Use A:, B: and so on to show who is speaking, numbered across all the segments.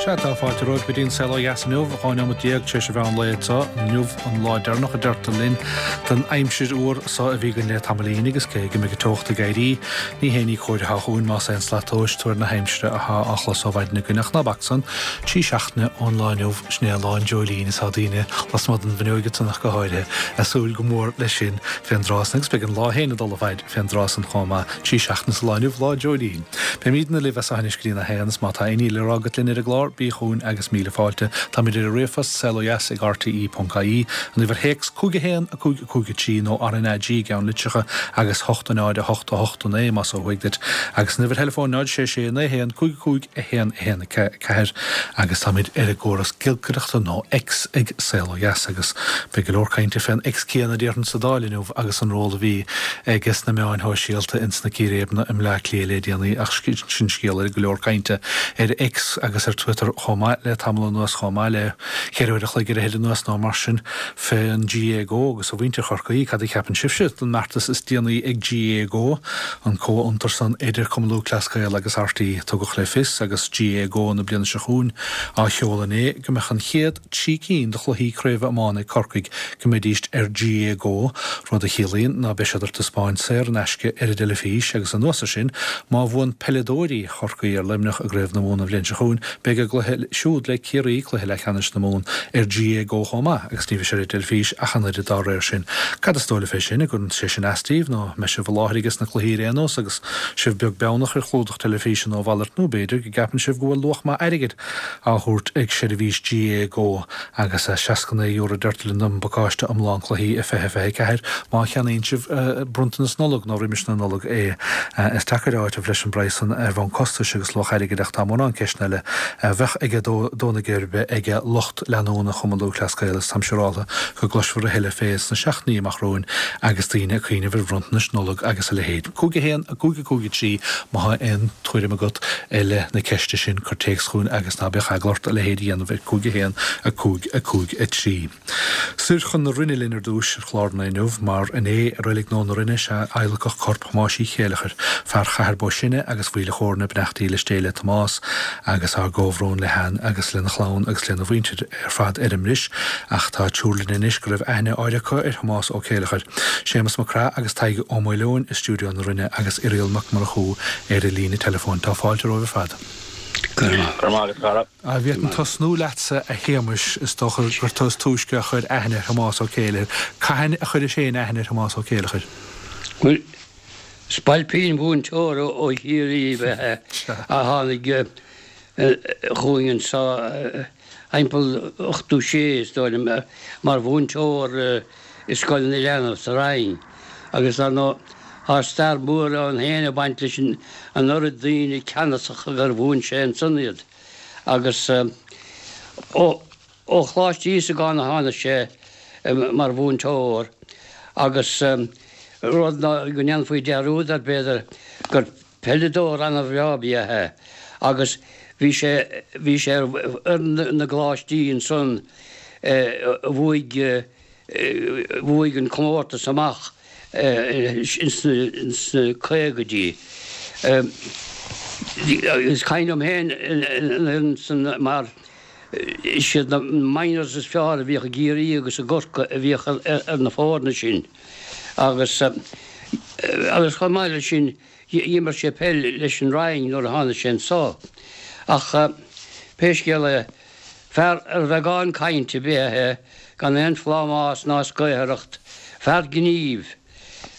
A: Sea, tá fáilte romhaibh go dtí an Saol Ó Dheas inniu, 12 neomat tar éis an mheán lae anseo. Inniu an lá deireanach a deirtear linn den aimsir fhuar so a bhí againn le tamaillín agus cé go mbeidh an teocht ag éirí, ní haon ní cóir atá chugainn más aon slat tomhais tuar na haimsire atá á chlos ó mhaidin againn ach ná bac san, trí seachtaine ón lá inniu, sin é lá an dreoilín is tá daoine lasmuigh den bhfuinneoig ansan ach go háirithe, ag súil go mór leis sin fén dtráth san agus beidh an lá féin ag dul i bhfaid fén dtráth san chomh maith. Trí seachtaine sa lá inniu, lá an dreoilín. Beimídne libh as seo anois go dtí a haon, is má tá aon ní le rá agat linn ar an gclár, bí chugainn agus míle fáilte. Táimid ar an ríomhphost, saolodheas@rte.ie, an uimhir théacs, 5 1 5 5 3 nó RnaG i gceannlitreacha agus 8 0 8 8 9 más ó thuaidh duit, agus an uimhir theileafóin 0 6 6 9 1 5 5 1 1 4 agus táimid ar an gcóras giolcaireachta nó X ag Saol Ó Dheas agus beidh go leor cainte fén X céanna déarfainn sa Dáil inniu agus an ról a bhí aige sna meáin shóisialta ins na círéibeanna i mBleá Cliath le déanaí ach sin scéal eile, go leor cainte ar X agus ar Twitter chomh maith le tamall anuas chomh maith le cheithre uair a chloig ar fhichid anuas nó mar sin fén GAAGO agus a mhuintir Chorcaí, cad a cheapann sibhse den mbeartas is déanaí ag GAAGO, an comhfhiontar san idir Cumann Lúthchleas Gael agus RTÉ? Tugadh le fios agus GAAGO na bliana seo chugainn á sheoladh inné go mbeadh an chéad 3 cinn de chluichí craoibhe iomána ag Corcaigh go mbeidíst ar GAAGO, rud a chiallaíonn ná beidh siad ar taispeáint saor in aisce ar an dteilifís agus anuas ar sin, má bhuann peileadóirí Chorcaí ar Luimneach i gCraobh na Mumhan an bhliain seo chugainn, beidh a gcluiche siúd le Ciarraí, cluiche leathcheannais na Mumhan, ar GAAGO chomh maith agus ní bheidh sé ar an dteilifís ach an oiread dá réir sin. Cad is dóigh libh fé sin? An gcuireann sé sin as daoibh nó an mbeidh sibh i láthair ages na cluichí ar aon nós agus sibh beag beannach ar chlúdach teilifíse nó a mhalairt nó b'fhéidir go gceapann sibh go bhfuil luach maith airgid á thabhairt ag seirbhís GAAGO agus €69 deirtear linn don bpacáiste iomlán cluichí i 2024 má cheannaíonn sibh bronntanas Nollag nó roimis na Nollag é. Is deacair a áiteamh leis an bpraghas san ar bhonn costais agus luach airgid ach tá mórán ceisteanna eile a bheadh ag dó na geirbe ag lucht leanúna Chumann Lúthchleas Gael is táim siúráltha go gcloisfear a thuilleadh fé sna seachtainí amach romhainn agus daoine ag cuimhneamh ar bhronntanais Nollag agus a leithéid. 5 1 5 5 3 Má thá aon tuairim agat i leith na ceiste sin, cuir téacs chugainn agus ná bíodh eagla ort a leithéid a dhéanamh ar 5 1 5 5 3. Soir chun na Rinne linn ar dtúis ar chlár an lae inniu, mar inné i Reilig Nua na Rinne is ea adhlacadh corp Thomáis Uí Chéileachair, fear Chathair Bó Sine agus Mhaoil a' Chóirne, beannacht dhílis Dé le Tomás agus ár gcomhbhrón le hAnn agus lena chlann agus lena mhuintir ar fad ar an mbris, ach tá triúr linn anois go raibh aithne áirithe acu ar Thomás Ó Céileachair. Séamus Mac Craith agus Tadhg Ó Maoileoin i stiúideo na Rinne agus Irial Mac Murchú ar an líne teileafóin. Tá fáilte romhaibh ar fad.
B: Go raibh maith agat, a chara.
A: Bhféadfainn tosnú leatsa, a Shéamais, is dócha gur tú is túisce a chuir aithne ar Thomás Ó Céileachair. Cathain a chuiris féin aithne ar Thomás Ó Céileachair?
B: Bhuel, spailpín mhúinteoir ó Chiarraí ab ea é a tháinig chugainn anseo thimpeall 86, is dóigh liom, mar mhúinteoir i Scoil na Leanbh sa Rinn agus dar ndóigh tá stair mhór ann féin ag baint leis an oiread daoine ceannasacha gur mhúin sé ansan iad agus ó Choláiste Íosagáin a tháinig sé mar mhúinteoir agus rud ná go ndéanfaí dearúd air b'fhéidir gur Peileadóir ana-bhreá ab ea é agus bhí sé bhí sé ar fhoireann na gcoláistí ansan a bhuaigh bhuaigh an comórtas amach ins na caogaidí. Is cuimhin liom féin an fhoireann san mar is iad na minors is fearr a bhíodh i gCiarraí agus i gCorcaigh a bhíodh ar na foirne sin. Agus agus chomh maith leis sin d'imir sé peil leis an Rinn nuair a tháinig sé anso. Ach pé scéal é, fear ar bheagán cainte ab ea é, gan aon phlámás ná scaothaireacht, fear gnímh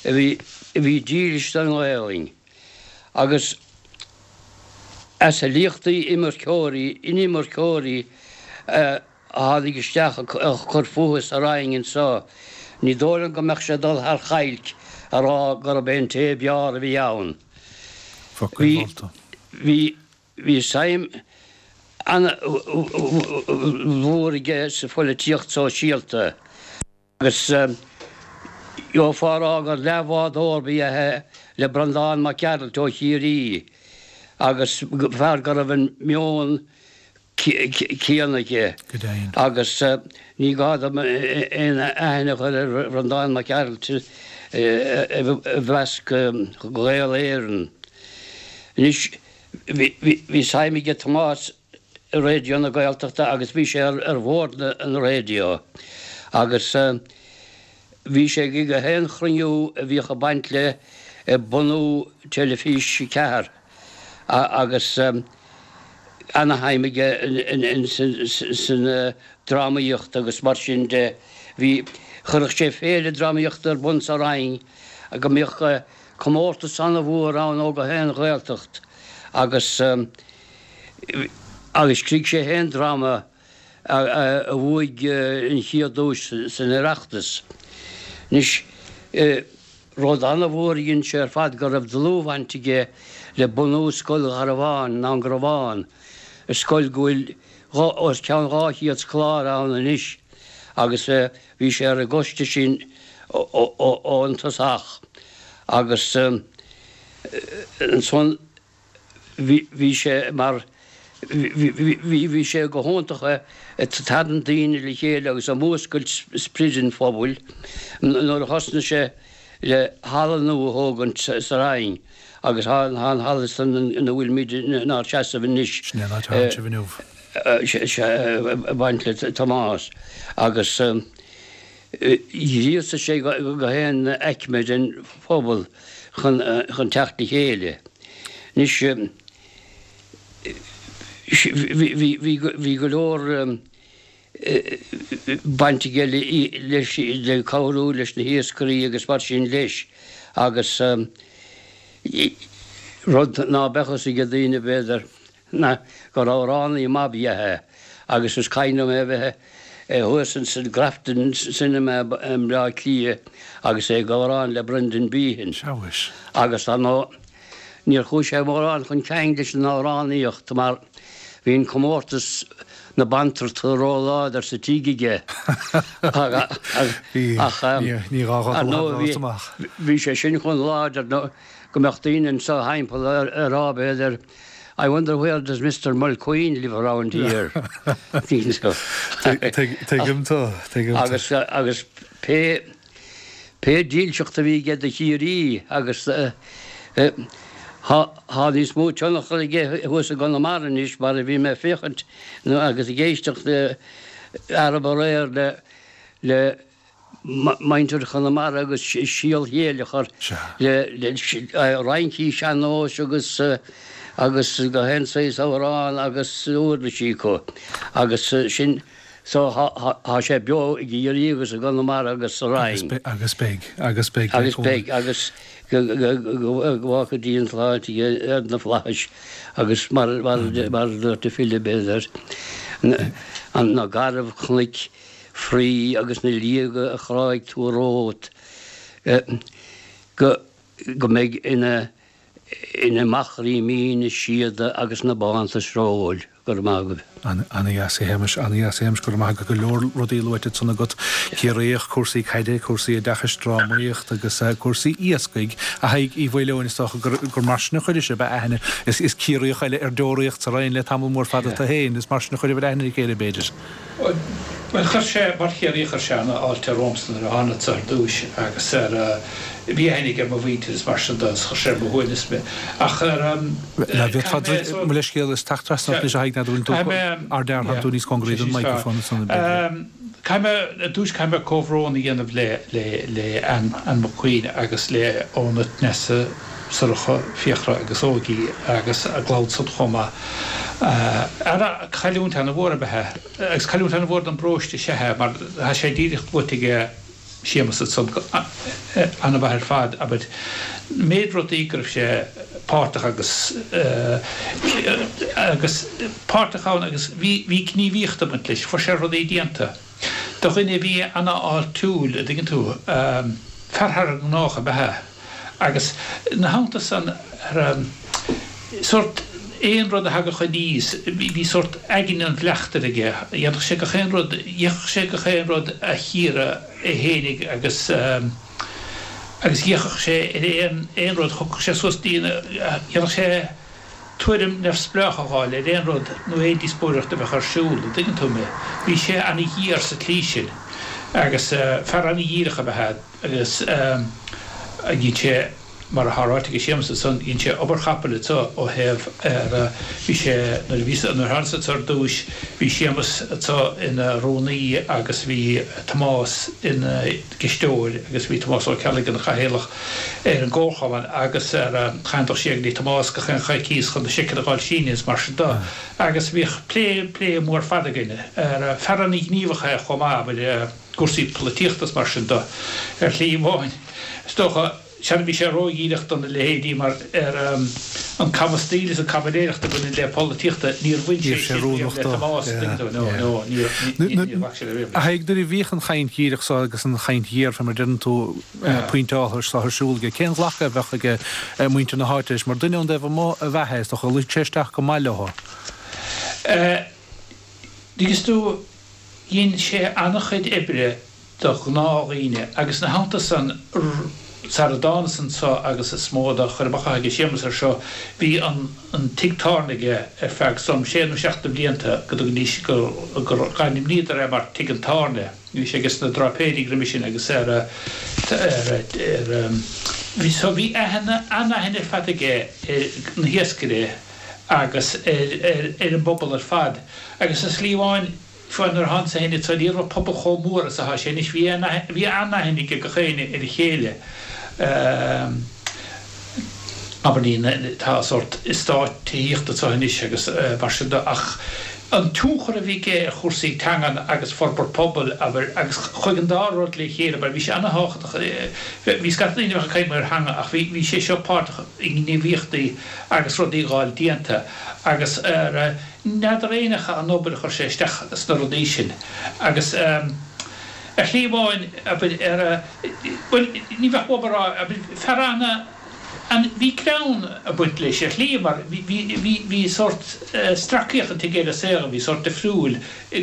B: a bhí a bhí dílis don Ghaelainn. Agus as a liachtaí imirceoirí, inimirceoirí a. a tháinig isteach ag cur fúthu sa Rinn anso, ní dóigh liom go mbeadh sé ag dul thar chailc a rá gurb é an té ab fhearr a bhí ann.
A: Focal
B: Bhí,
A: molta.
B: bhí, bhí suim ana-mhór aige sa phoilitíocht sóisialta agus gheofá a rá gur leathbhádóir ba ea é le Breandán Mac Gearailt ó Chiarraí agus fear go raibh an meon céanna aige
A: Go deimhin.
B: agus ní gá dom aon aithne a chur ar Bhreandán Mac Gearailt i measc Ghaeil Éireann. Anois bhí suim aige Tomás. Raidió na Gaeltachta agus bhí sé ar bhord an raidió agus bhí sé ag gach aon chruinniú a bhíodh ag baint le bunú Teilifís 4 agus ana-shuim aige san drámaíocht agus mar sin de. Bhí, chuirfeadh sé féile drámaíochta ar bun sa Rinn go mbíodh comórtas ana-mhór ann ó gach aon Ghaeltacht agus agus scrígh sé féin dráma a bhuaigh an chéad duais san Oireachtas. Anois, rud ana-mhór a dhein sé ar fad go raibh dlúthbhaint aige le bunú Scoil Gharbháin, i nDún Garbhán, scoil go bhfuil os cionn 200 scoláire ann anois agus bhí sé ar an gcoiste sin ón tosach agus ansan bhí sé mar bhí sé go hiontach ag tarraingt daoine le chéile agus ag múscailt sprid an phobail nuair a thosnaigh sé le halla nua a thógaint sa Rinn agus tá an halla san ina bhfuilimid inár seasamh anois.
A: Sin é an áit a tánn sibh inniu.
B: Ag baint le Tomás agus ghríosaigh sé gach aon aicme den phobal chun teacht le chéile. Anois bhí go leor baint aige leis le cabhrú leis na hiascairí agus mar sin leis agus rud ná beadh fhios ag daoine b'fhéidir ná gur amhránaí maith ab ea é agus is cuimhin liom é a bheith thuas ins an Grafton Cinema i mBleá Cliath agus é ag amhrán le Brendan Behan.
A: Sea mhuis.
B: Agus ar ndóigh níor chuaigh sé mórán chun cinn leis an amhránaíocht mar bhí an comórtas na bantrachta ró-láidir sa tigh aige.
A: Ach ar
B: ndóigh bhí sé sin chomh láidir go mbeadh daoine anso thimpeall ag rá b'fhéidir I wonder where does Mister Mulqueen live around here?
A: Tuigim tú, tuigim tú.
B: Agus, agus pé, pé dílseacht a bhí aige do Chiarraí agus thá, thá níos mó tionchar aige thuas i gConamara anois mar a bhí mé ag féachaint agus ag éisteacht arb aréir le, le, muintir Chonamara agus síol Chéileachair le rincí sean-nóis agus agus gach aon saghas amhrán agus uirlisí acu agus sin so thá sé beo i gCiarraí agus i gConamara agus sa Rinn.
A: Agus beidh, agus beidh.
B: Agus beidh agus go bhfágfaidh Dia an tsláinte aige ar na flaithis agus mar a dúirt an file b'fhéidir na garbhchnoic fraoigh agus na liaga a chráigh tú romhat go go mbeidh ina ina machairí míne síoda agus na bánta sróil. Go raibh maith agaibh.
A: Ana-dheas a Shéamais, ana-dheas a Shéamais, go raibh maith agat. Go leor rudaí luaite ansan agat. Ciarraíoch, cúrsaí caide, cúrsaí oideachais, drámaíocht agus cúrsaí iascaigh. A Thaidhg Uí Mhaoileoin, is dócha gur gur mar sin a chuiris sibh aithne. Is is Ciarraíoch eile ar deoraíocht sa Rinn le tamall mór fada tú féin, is mar sin a chuirfeá aithne ar a chéile b'fhéidir.
C: Bhuel, chuir sé, mar Chiarraíoch, chuir sé ana-fháilte romhamsa nuair a thánadsa ar dtúis agus ar, bhí aithne aige ar mo mhuintir is mar sin de agus chuir sé ar mo shuaimhneas mé. Ach ar,
A: caithfidh mé, so. Mo leithscéal, is teacht trasna ort anois a Thaidhg, n'fheadar an bhfuil tú ár dteartháir tú níos cóngaraí don microphone ansan
C: b'fhéidir. Caithfidh mé, ar dtúis caithfidh mé comhbhrón a dhéanamh le, le, le Ann, Ann McQueen agus le Oona, Nessa, Sorcha, Fiachra agus Óigí agus a gclann san chomh maith. Ara, cailliúint ana-mhór ab ea é, agus cailliúint ana-mhór don bparóiste is ea é, mar tá sé díreach luaite aige Séamus ansan go ana-mhaith ar fad, abair, méid rudaí go raibh sé páirteach agus agus páirteach ann agus bhí bhí gníomhaíocht ag baint leis, fuair sé rudaí déanta. Do dhuine a bhí ana-fháiltiúil, a' dtuigeann tú, fear thar an ngnách ab ea é. Agus ina theannta san, sórt, aon rud a thagadh aníos, bhí sórt aigne an bhleachtaire aige, dhéanfadh sé gach aon rud, dhéanfadh sé gach aon rud a chíoradh é fhéinig agus agus d'fhéachfadh sé ar aon aon rud, thiocfadh sé suas dtí, dhéanfadh sé tuairim neamhspleách a dh'fháil ar aon rud nó aon díospóireacht a bheadh ar siúl, an dtuigeann tú mé. Bhí sé ana-ghéar sa tslí sin agus fear ana-dhíreach ab ea é. Agus dhein sé. Mar atá ráite ag Séamus ansan, dhein sé obair chapaill anso ó thaobh ar, bhí sé, nuair a bhí, nuair a thánas anso ar dtúis, bhí Séamus anso ina rúnaí agus bhí Tomás ina gcisteoir agus bhí Tomás Ó Ceallaigh ina chathaoirleach ar an gcomharchumann agus ar, chaithfinn dul siar go dtí Tomás gach aon choicíos chun na seiceanna a dh'fháil sínithe is mar sin de agus bhíodh plé, plé mór fada againn ar, fear ana-ghníomhach é chomh maith, abair, cúrsaí polaitíochta is mar sin de, ar shlí amháin, is dócha. Sea, bhí sé ródhíreach do na leithéidí mar ar an camastaíl is an caimiléireacht a bhaineann le polaitíochta, níor bhain sé sin riamh le Tomás, tuigeann tú, no, no, níor ghlac sé le riamh leis.
A: A Thaidhg, nuair a bhíodh an chaint dhíreach so agus an chaint ghéar, fé mar a deireann tú, pointeáltha so ar siúl aige, cén ghlacadh a bheadh ag muintir na háite leis? Mar duine ón dtaobh amuigh ab ea é, is dócha, luigh sé isteach go maith leo.
C: Tuigeann tú, dhein sé an-chuid oibre do ghnáthdhaoine, agus ina theannta san, sara dtánas anso agus is mó de chur amach atá ag Séamus air seo, bhí an an tigh tábhairne aige ar feadh some sé nó seacht de bhlianta, go dtugaidís, gur gur d'ainmníodar é mar Tigh an Tábhairne. Bhí sé aige sna dráipéirí roimhe sin agus ar ar ar bhí so bhí aithne an-aithne ar fad aige ar na hiascairí agus ar ar ar an bpobal ar fad agus ar shlí amháin Fiú nuair a thánas féin anso ní raibh an pobal chomh mór is atá sé anois. Bhí bhí an-aithne ag gach éinne ar a chéile. Abair ní tá sórt eastát tithíochta anso anois agus mar sin de ach an tionchar a bhí aige ar chúrsaí teangan agus forbairt pobail, abair, agus chuaigh an dá rud le chéile, abair, bhí sé an-thábhachtach, bhí scata daoine a bheadh ag caint ar theanga ach bhí bhí sé seo páirteach i ngníomhaíochtaí agus rudaí a dh'fháil déanta agus ar N'fheadar éinne an obair a chuir sé isteach sna rudaí sin agus ar shlí amháin, abair, ar, bhuel, ní bheadh uaim a rá, abair, fear ana, an, bhí greann ag baint leis ar shlí mar bhí, bhí, bhí, bhí sórt stracaíocht aige ar an saol a bhí sórt difriúil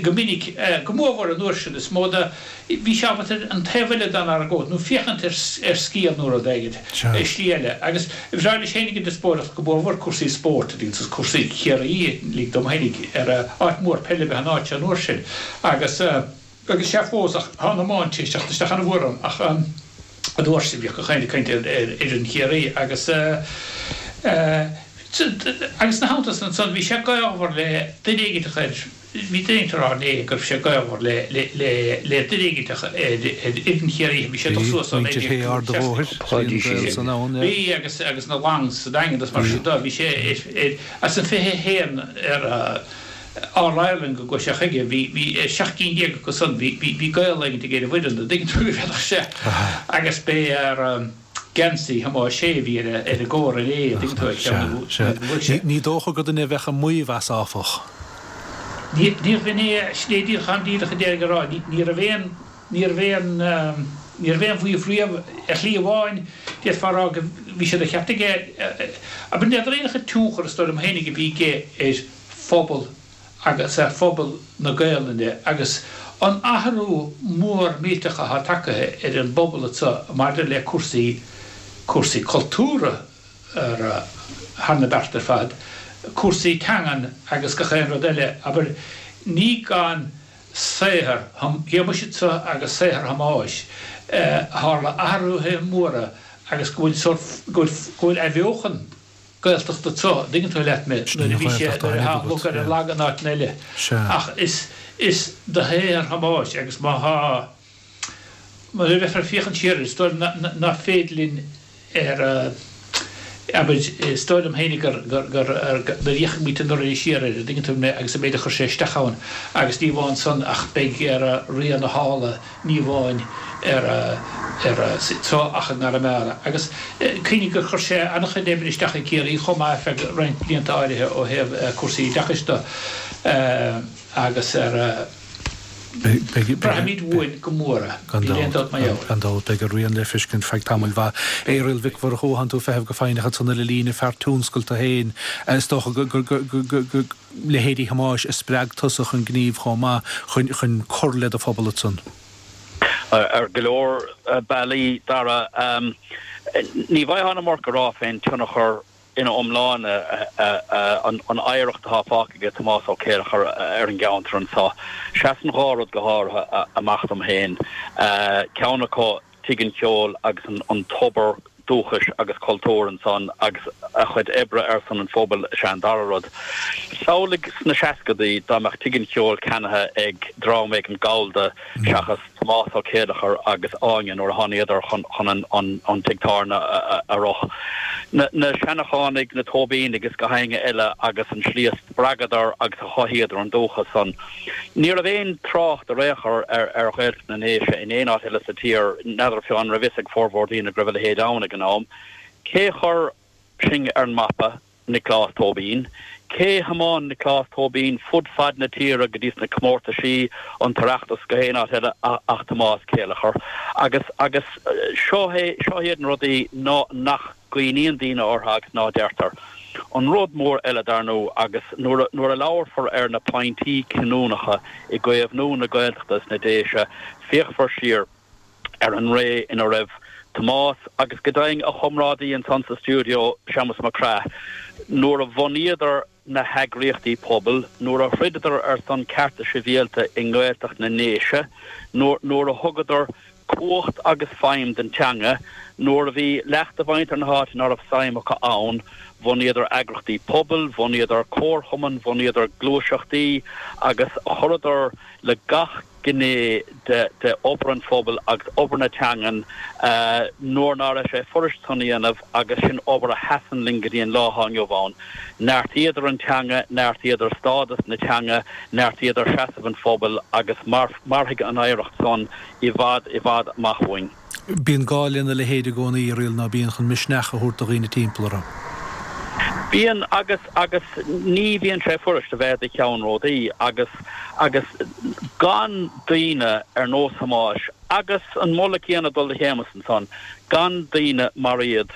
C: go minic, go mórmhór an uair sin, is mó de, Bhí sé ábalta an taobh eile den argóint, nó féachaint ar scéal nó rud éigin i slí eile. Agus bhreá leis fhéinig an diospóireacht, go mórmhór cúrsaí spóirt, agus cúrsaí Chiarraí, lig dom fhéinig, ar áit mhór peile ab ea an áit seo an uair sin. Agus, agus sea fós, ach tá an iomáint tar éis teacht isteach an-mhór ann, ach an uair sin bhíodh gach éinne ag caint ar fhoireann Chiarraí agus, agus ina theannta san ansan bhí sé gaolmhar le duine éiginteach ar, Bhí duine éigint ag rá inné go raibh sé gaolmhar le le duine éiginteach ar fhoireann Chiarraí bhí sé ag dul suas ó
A: Muintir Shé Ard a' Bhóthair, bhí an gaol san ann,
C: yeah. Bhí agus agus na Longs sa Daingean agus mar sin de. Bhí sé ar as an 21 ar All Ireland go gcuaigh sé chuige bhí bhí 17 cinn acu san bhí bhí gaol éigint aige ar an bhfoireann an dtuigeann tú go bhféadfadh sé agus b'é ar geansaí Thomáis Shé a bhí ar an gcór inné, an dtuigeann tú, ag ceann na bhuaigh sé.
A: Ní dócha gur duine a bheadh ag maíomh as, áfach.
C: Níorbh in é, sin é díreach an díreach a déarfainn a rá, ní raibh aon, ní raibh aon, ní raibh aon mhaíomh riamh, ar shlí amháin, d'fhéadfá a rá go, bhí sé de cheart aige, abair, n'fheadar aon tionchar, is dóigh liom féinig, a bhí aige ar phobal agus ar phobal na Gaelainne agus an athrú mór millteach atá tagtha ar an bpobal anseo maidir le cúrsaí, cúrsaí cultúrtha ar thar na bearta ar fad, cúrsaí teangan agus gach aon rud eile, abair, ní gan saothar Shéamuis anseo agus saothar Thomáis a tharla athruithe móra agus go bhfuil sórt, go bhfuil, go bhfuil athbheochan. Gaeltacht anseo, an dtuigeann tú leat mé, nuair a bhí sé, nuair atá an lug ar an lag in áiteanna eile. Ach is, is de shaothar Thomáis agus má thá, nuair a bheifear ag féachaint siar air, is dóigh liom ná féidir linn ar, abair, is dóigh liom féinig gur, gur, gur, nuair a fhéachfaidh muid an uair siar air, an dtuigeann tú mé, agus an méid a chuir sé isteach ann agus ní amháin san ach beidh ar rian a shála ní amháin ar anseo ach i gConamara. Agus cuimhnigh gur chuir sé an-chuid oibre isteach i gCiarraí chomh maith ar feadh roinnt blianta áirithe ó thaobh cúrsaí oideachais de agus ar braithfimid uainn go mór é.
A: Níl aon dabht mar gheall air. Gan dabht, beidh a rian le feiscint feadh tamaill mhaith. A Irial Mhic Mhurchú, thánn tú ag feitheamh go foighneach ansan ar an líne, fear tionscail tú féin. Is dócha go. leithéidí Thomáis a spreag tusa chun gnímh chomh maith chun cur le do phobal ansan?
D: Ar go leor bealaí, Dara. Ní bhfaighfeá an iomarca a rá fén tionchar ina iomláine, an oidhreacht atá fágtha aige Tomás Ó Céileachair ar an gceantar anso. Seasann dhá rud go háirithe amach dom féin. Ceann acu, Tigh an Cheoil agus an tobar. dúchais agus cultúir ansan agus a chuid oibre ar son an phobail is ea an dara rud. Samhlaigh sna seascadaí dá mbeadh Tigh an Cheoil ceannaithe ag dream éigin gallda seachas Tomás Ó Céileachair agus Áine nuair a thánaíodar chun an tigh tábhairne a rith. Na Seanachánaigh, na Tóibínigh is gach éinne eile agus an slí a spreagadar agus a chothaíodar an dúchas san. Ní raibh aon trácht ar aon chor ar Ghaeltacht na nDéise in aon áit eile sa tír, n'fheadar fiú an raibh fhios ag formhór daoine go raibh a leithéid ann ag an am. Cé chuir sinn ar an mapa? Nioclás Tóibín. Cé thiomáin Nioclás Tóibín fud fad na tíre go dtí sna comórtaisí, an tOireachtas, gach aon áit eile ach Tomás Céileachair. Agus, agus seo é, seo iad na rudaí ná, nach gcuimhníonn daoine orthu agus ná deirtear. An rud mór eile, dar ndóigh, agus nuair a, nuair a labharfar ar na pointí cinniúnacha i gcaomhnú na Gaeltachta is na Déise, féachfar siar ar an ré ina raibh Tomás agus go deimhin a chomrádaí ansan sa stiúideo, Séamus Mac Craith, nuair a bhunaíodar na heagraíochtaí pobail, nuair a throideadar ar son cearta sibhialta i nGaeltacht na nDéise, nuair a thugadar cumhacht agus feidhm don teanga, nuair a bhí leath de mhuintir na háite ná raibh suim acu ann, bhunaíodar eagrachtaí pobail, bhunaíodar comharchumainn, bhunaíodar gluaiseachtaí agus chuireadar le gach gné de obair an phobail agus obair na teangan nuair ná raibh sé fuirist san a dhéanamh agus sin obair a sheasann linn go dtí an lá atá inniu ann. Neartaíodar an teanga, neartaíodar stádas na teanga, neartaíodar seasamh an phobail agus mairfidh an oidhreacht san i bhfad i bhfad amach uainn.
A: Bíonn gá lena leithéid i gcónaí, a Irial, ná bíonn, chun misneach a thabhairt do dhaoine timpeall orthu.
D: Bíonn, agus, agus ní bhíonn sé fuirist a bheith i do cheannródaí agus, agus gan daoine ar nós Thomáis, agus an moladh céanna ag dul do Shéamus ansan, gan daoine mar iad,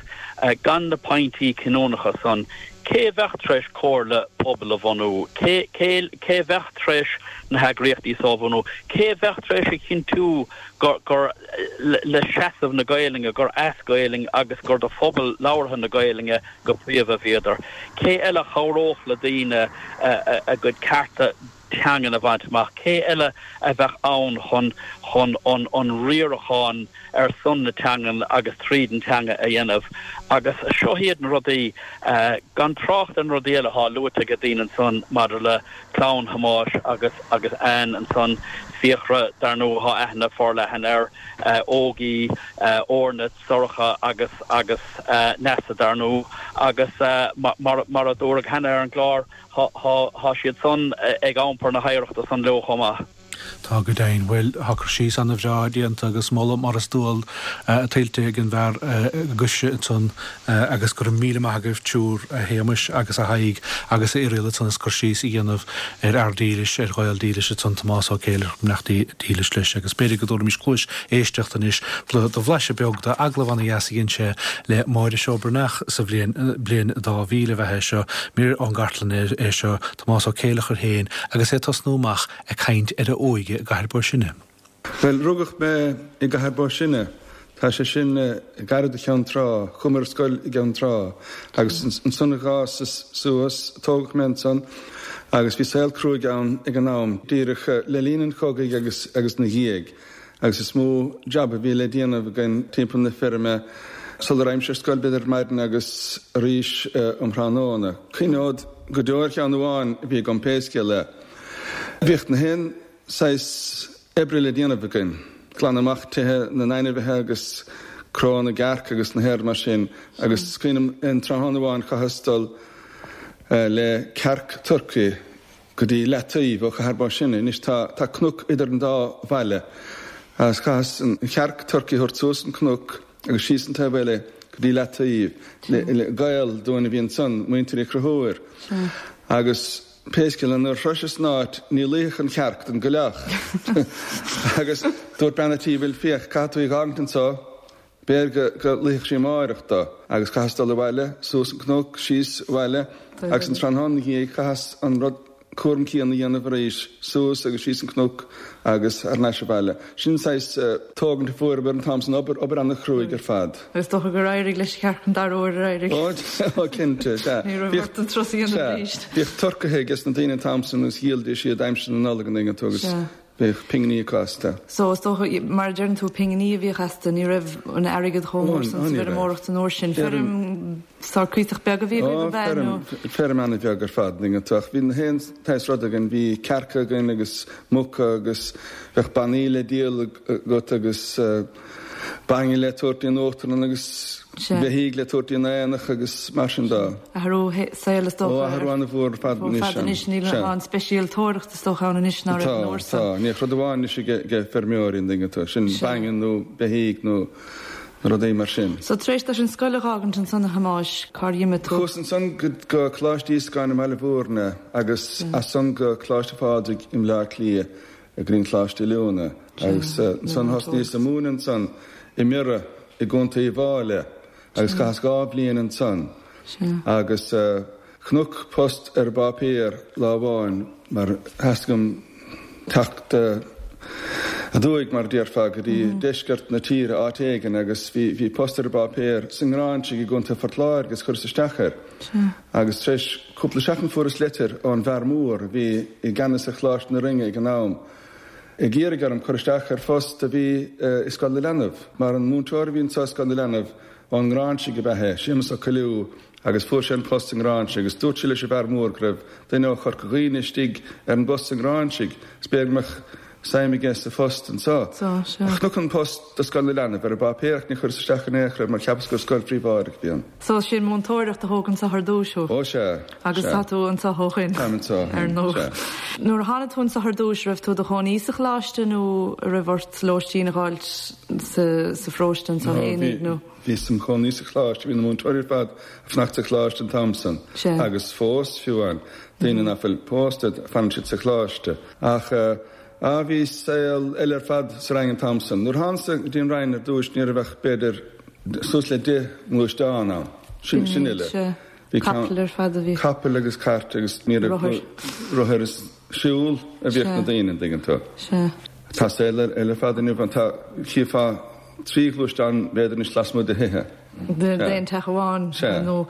D: gan na pointí cinniúnacha san, cé a bheadh tar éis comhairle pobail a bhunú, cé, cé, cé a bheadh tar éis na heagraíochtaí so a bhunú, cé a bheadh tar éis a chinntiú gur, gur le seasamh na Gaelainne, gur as Gaelainn agus gur do phobal labhartha na Gaelainne go príomha a bhíodar. Cé eile a chabhródh le daoine a gcuid cearta teangan a bhaint amach? Cé eile a bheadh ann chun chun an an riarachán ar son na teangan agus tríd an teanga a dhéanamh? Agus seo iad na rudaí, gan trácht ar na rudaí eile atá luaite ag daoine ansan maidir le clann Thomáis agus agus Ann ansan, Fiachra, dar ndóigh, thá aithne forleathan air, Ógie, Órna, Sorcha agus agus Neasa, dar ndóigh, agus mar mar a dúradh cheana ar an gclár, thá thá thá siad san ag iompar na hoidhreachta san leo chomh maith.
A: Tá go deimhin. Bhuel, tá cur síos ana-bhreá déanta agus moladh mar is dual tuillte ag an bhfear gaise ansan agus go raibh míle maith agaibh triúr, a Shéamais agus a Thaidhg agus a Irial ansan as cur síos a dhéanamh ar fhear dílis, ar Ghael dílis ansan, Tomás Ó Céileachair, beannacht dílis leis agus b'fhéidir go dtabharfaimis cluais éisteachta anois do bhlaiseadh beag d'agallamh ana-dheas a dhein sé le Máire Seó Breathnach sa bhliain, bliain 2000 ab ea é seo, mír ón gcartlann é seo, Tomás Ó Céileachair féin agus é ag tosnú amach ag caint ar a óige i gCathair Bó Sine.
E: Bhuel, rugadh mé i gCathair Bó Sine. Tá sé sin gairid do Cheann Trá. Chuaigh mé ar scoil i gCeann Trá agus ansan d'fhásas suas, tógadh mé ansan agus bhí saol cruaidh ann ag an am, díreach le linn an chogaidh agus agus na dhiaidh agus is mó jab a bhí le déanamh againn timpeall na feirme sula raghaimse ar scoil b'fhéidir ar maidin agus arís um thráthnóna. Cuimhneod go deo ar cheann amháin a bhí agam pé scéal é. Bhíodh na haon saghas oibre le déanamh againn, glanadh amach tithe na n-ainmhithe agus cró na gcearc agus na haon rud mar sin agus is cuimhin liom aon tráthnóna amháin chaitheas dul le cearc turcaí go dtí Leataoibh ó Chathair Bó Sine. Anois tá tá cnoc idir an dá bhaile agus chaitheas an chearc turcaí a thabhairt suas an cnoc agus síos an taobh eile go dtí Leataoibh. Gaol dúinn a bhí ansan, muintir Uí Chonchúir agus Pé scéal é, nuair a shroiseas an áit, ní luífeadh an chearc don gcoileach. Agus dúirt bean a' tí, Bhuel, féach, caithfidh tú í dh'fhágaint anso, b'fhéidir go, go luífeadh sí amáireach do. Agus chaitheas dul abhaile, suas an cnoc, síos abhaile, agus an tráthnóna 'na dhiaidh, chaitheas an rud cúram céanna a dhéanamh arís, suas agus síos an cnoc agus thar n-ais abhaile. Sin saghas tógaint a fuaireamar an t-am san, obair, obair ana-chruaidh ar fad.
F: Is dócha gur éirigh leis an chearc an dara huair ar éirigh?
E: Ó, cinnte, sea.
F: Ní raibh ort an turas a dhéanamh arís.
E: Bhíodh turcaithe ages na daoine an t-am san agus dhíolaidís iad aimsir na Nollag an dtuigeann tú agus.
F: Sea.
E: Bheadh pinginí acu astu.
F: So, is dócha, mar a deireann tú, pinginí a bhíodh astu, ní raibh an airgead chomh mór san sa bhfeirmeoireacht an uair sin. Feirm sórt cuíosach beag a bhí agaibh, ab ea, nó?
E: Feirm, feirm ana-bheag ar fad, an dtuigeann tú, ach bhí na haon tsaghas rud againn, bhí cearca againn agus muca agus bheadh bannaí le díol agat agus bainne le tabhairt dtí an uachtarlann agus beithígh le tabhairt dtí an aonach agus mar sin de.
F: Athrú saoil is dócha.
E: Ó, athrú an-mhór ar fad anois.
F: Fad anois, níl an speisialtóireacht is dócha ann anois ná raibh an uair
E: san. Tá, tá. Níl ach rud amháin anois ag feirmeoirí an dtuigeann tú, sin bainne nó beithígh nó rudaí mar sin.
F: So tar éis duit an scoil a dh'fhágaint ansan a Thomáis, cár dh'imigh tú?
E: Chuas ansan go Coláiste Íosagáin i mBaile Bhúirne agus as san go Coláiste Phádraig i mBleá Cliath. go dtí an Coláiste Oiliúna agus ansan thosnaíos ag múineadh ansan i mBiorra i gContae Uíbh Fháilí agus chaitheas 2 bhliain ansan agus chonac post ar an bpáipéar lá amháin mar theastaigh uaim teacht aduaidh mar a déarfá go dtí deisceart na tíre áit éigin agus bhí post ar an bpáipéar sa nGráinsigh i gContae Phort Láirge agus chuireas isteach air. Agus tar éis cúpla seachtain fuaireas leitir ón bhfear mór a bhí i gceannas ar Choláiste na Rinne ag an am, ag iarraidh orm cur isteach ar phost a bhí i Scoil na Leanbh, mar an múinteoir a bhí anseo i Scoil na Leanbh ón nGráinsigh ab ea é, Séamus Ó Coilliú, agus fuair sé an post sa nGráinsigh agus dúirt sé leis an bhfear mór go raibh duine ó Chorca Dhuibhne istigh ar an bpost sa nGráinsigh is b'fhéidir go mbeadh suim aige sa phost anseo. Chonac an post do Scoil na Leanbh ar an bpáipéar ach níor chuireas isteach in aon chor air mar cheapas gur scoil phríobháideach a bhí ann.
F: So sin múinteoireacht a thóg anseo ar dtúis thú?
E: Ó sea,
F: Agus tá tú anseo ó shin?
E: Táim anseo ó shin,
F: ar ndóigh. sea. Nuair a tháinig tú anseo ar dtúis, raibh tú i do chónaí sa choláiste nó raibh ort lóistín a dh'fháilt sa pharóiste anseo fhéinig nó?
E: Bhíos im chónaí sa choláiste, bhí na múinteoirí ar fad ag fanacht sa choláiste an t-am san agus fós, fiú amháin, daoine nach bhfuil pósta, fanann siad sa choláiste. Ach, ah, bhí saol eile ar fad sa Rinn an t-am san. Nuair a thánasa go dtí an Rinn ar dtúis ní raibh ach b'fhéidir suas le 10 ngluaisteán ann. Sin, sin uile.
F: Bhí capaill ar fad a bhí.
E: Capaill agus cairt agus ní raibh
F: Rothair.
E: rothair is siúl a bhíodh na daoine, an dtuigeann tú.
F: Sea.
E: Tá saol eile ar fad inniu ann. Tá, chífeá 3 ghluaisteán b'fhéidir anois lasmuigh de thithe.
F: D'aon teach amháin, ar ndóigh.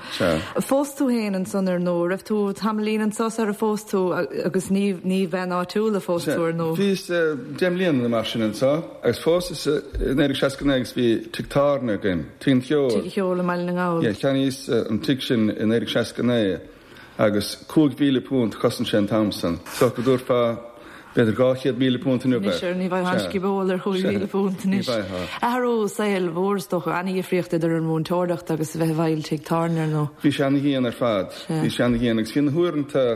F: Phós tú féin ansan, ar ndóigh. Raibh tú tamaillín anso sar a phós tú agus ní ní bhean áitiúil a phós tú, ar ndóigh.
E: Bhíos 10 mbliana nó mar sin anso agus phósas i 1969 agus bhí tigh tábhairne againn, Tigh an Cheoil.
F: Tigh an Cheoil i mBaile na nGall.
E: Yeah, cheannaíos an tigh sin i 1969. Agus £5,000 a chosain sé an t-am san. So go dtabharfá b'fhéidir £200,000 inniu
F: air. Anois, ní bhfaighfeá an scioból ar £5,000 anois.
E: Ní bhfaighfeá.
F: Athrú saoil mhór is dócha, an-dhifríocht idir an mhúinteoireacht agus a bheith i bhfeighil tigh tábhairne, ar ndóigh.
E: Bhí sé ana-dhian ar fad. Bhí sé ana-dhian agus bhí na huaireanta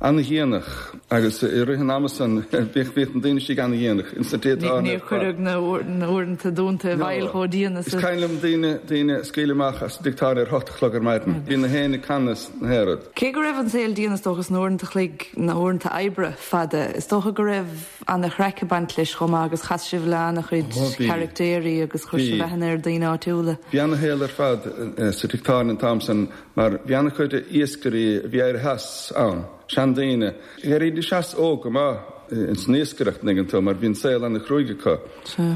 E: ana-dhéanach agus i rith an ama san bhíodh bhíodh na daoine istigh ana-dhéanach ins na tithe tábhairne
F: Níor cuireadh na huaireanta dúnta i bhfeighil chomh dian
E: is a. Is cuimhin liom daoine daoine a scaoileadh amach as an dtigh tábhairne ar hocht a chlog ar maidin. Bhí na héin ag canadh is na haon rud.
F: Cé go raibh an saol dian is dócha is na huaireanta chloig na huaireanta oibre fada is dócha go raibh ana-chraic ag baint leis chomh maith agus chas sibh le ana-chuid caractéirí agus chuir sibh aithne ar daoine áitiúla.
E: Bhí ana-shaol ar fad sa tigh tábhairne an t-am san Mar bhí an-chuid iascairí a bhí éirithe as ann, seandaoine. D'éirídís as óg go maith ins an iascaireacht, an dtuigeann tú, mar bhí an saol ana-chruaidh acu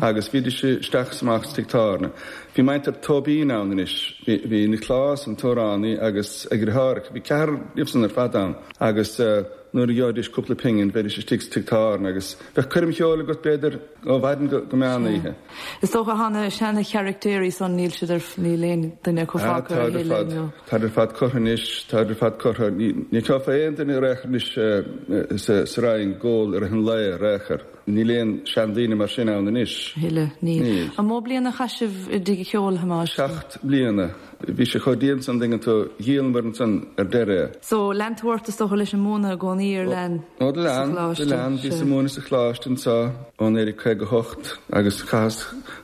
E: agus bhídís isteach is amach sa tigh tábhairne. Bhí muintir Tóibín ann anois, bhí Nioclás, an t-amhránaí, agus a dheartháireacha, bhí ceathrar díobhsan ar fad ann agus nuair a gheobhaidís cúpla pingin bheidís istigh sa tigh tábhairne agus bheadh coirm cheoil agat b'fhéidir ó mhaidin go meán oíche.
F: Is dócha tá na seana-charactéirí san, níl siad ar, níl aon duine acu fágtha a thuilleadh
E: nó. Táid ar fad curtha anois, táid ar fad curtha. Ní fheicfeá aon duine ar aon chor anois sa Rinn ag ól i rith an lae ar aon chor. Níl aon seandaoine mar sin ann anois.
F: A thuilleadh, níl. Níl. An mó bliain a chaith sibh i dTigh an Cheoil, a Thomáis?
E: 7 mbliana. Bhí sé chomh dian san, an dtuigeann tú, dhíolamar ansan ar deireadh
F: é. So, lean tú ort is dócha leis an múineadh i gcónaí ar lean
E: Ó, do lean, do lean, bhíos ag múineadh sa choláiste anso ó 1958 agus chaitheas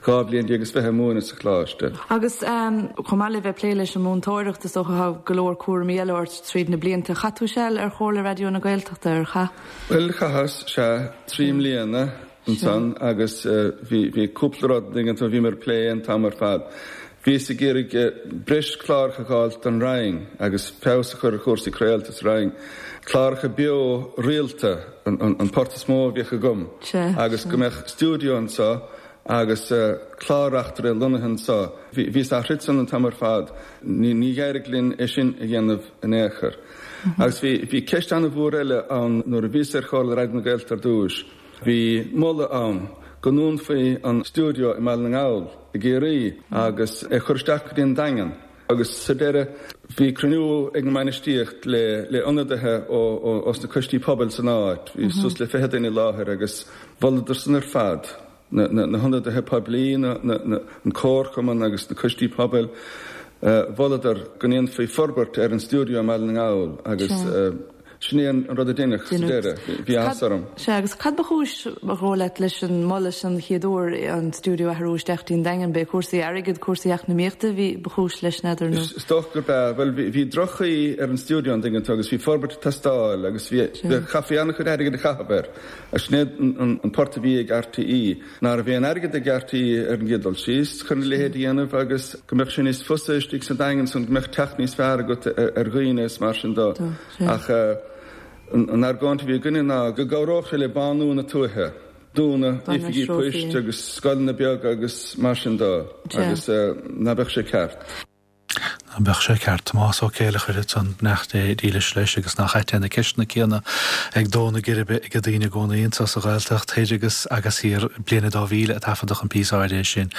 E: 12 bhliain is fiche ag múineadh sa choláiste.
F: Agus chomh maith le bheith ag plé leis an múinteoireacht is dócha tá go leor cúraimí eile ort tríd na blianta. Chaith tú seal ar Chomhairle Raidió na Gaeltachta, ar chaith?
E: Bhuel, chaitheas, sea, 3 mbliana ansan agus bhí, bhí cúpla rud, an dtuigeann tú, bhíomar ag plé an t-am ar fad. Bhíos ag iarraidh breis cláracha a dh'fháilt don Rinn agus feabhas a chur ar chúrsaí craolta sa Rinn. Cláracha beo rialta an port is mó a bhíodh agam agus go mbeadh stiúideo anso agus clár-reachtaire lonnaithe anso. Bhíos á throid san an t-am ar fad. Ní d'éirigh linn é sin a dhéanamh in aon chor. Agus bhí ceist an-mhór eile ann nuair a bhíos ar Chomhairle Raidió na Gaeltachta ar dtúis. Bhí moladh ann go ndúnfaí an stiúideo i mBaile na nGall i gCiarraí agus é a chur isteach go dtí an Daingean. Agus sa deireadh bhí cruinniú ag an mbainistíocht le le ionadaithe ó ós na coistí pobail san áit, bhí suas le 20 duine i láthair agus mholadar san ar fad, na na hionadaithe poiblí, na na an comharchumann agus na coistí pobail, mholadar go ndéanfaí forbairt ar an stiúideo i mBaile na nGall agus Sin é an rud a deineadh sa deireadh. Bhí áthas orm.
F: Sea, agus cad ba chúis, ba dhóigh leat, leis an moladh sin an chéad uair, an stiúideo a athrú isteach dtí an Daingean? B'é cúrsaí airgid, cúrsaí eacnamaíochta a bhí, ba chúis leis, n'fheadar, nó?
E: Is dócha gurb ea. Bhuel, bhí droch-chaoi ar an stiúideo, an dtuigeann tú, agus bhí forbairt ag teastáil agus bhí, chaithfí an-chuid airgid a chaitheamh air. Agus sin é an port a bhí ag RTÉ. Ná raibh aon airgead ag RTÉ ar an gcéad dul síos chun a leithéid a dhéanamh agus go mbeadh sé níos fusa istigh sa Daingean san, go mbeadh teacht níos fearr agat ar dhaoine is mar sin do. Ach an argóint a bhí againne ná go gcabhródh sé le bánú na tuaithe, dúnadh oifigí poist agus scoileanna beaga agus mar sin do agus ná beadh sé ceart.
A: Ná beadh sé ceart. Tomás Ó Céileachair ansan, beannacht Dé dílis leis agus nach ait é na ceisteanna céanna ag dó na geirbe ag daoine i gcónaí anso sa Ghaeltacht thoir agus agus thiar. Bliain a 2000 a taifeadadh an píosa áirithe sin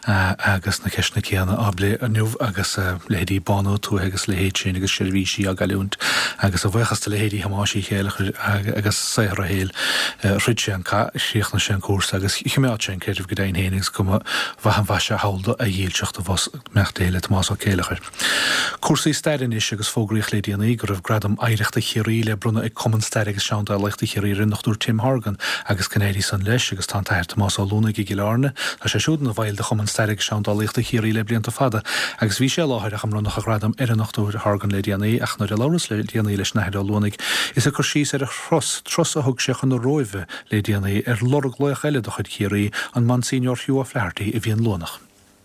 A: agus na ceisteanna céanna á bplé inniu agus leithéidí bánú tuaithe agus a leithéid sin agus seirbhísí á gcailliúint agus a bhuíochas do leithéidí Thomáis Uí Chéileachair agus saothar a shaoil throid sé an cath, chríochnaigh sé an cúrsa agus choimeád sé an creideamh go deimhin féin agus go mba mhaith an mhaise thall do a dhílseacht abhus. Beannacht Dé le Tomás Ó Céileachair. Cúrsaí staire anois agus fógraíodh le déanaí go raibh Gradam Oidhreachta Chiarraí le bronnadh ag Cumann Staire agus Seandálaíochta Chiarraí ar an Dr Tim Horgan agus go n-éirí san leis agus tá an tAthair Tomás Ó Luanaigh i gCill Airne. Tá sé siúd ina bhaill de Chumann Staire agus Seandálaíochta Chiarraí le blianta fada agus bhí sé i láthair ach an mbronnadh an ghradaim ar an Dr Horgan le déanaí ach nuair a labhras le déanaí leis an Athair Ó Luanaigh is ag cur síos ar a thuras, turas a thug sé chun na Róimhe le déanaí ar lorg laoch eile de chuid Chiarraí, an Monsignor Hugh O'Flaherty a bhí an Luanach.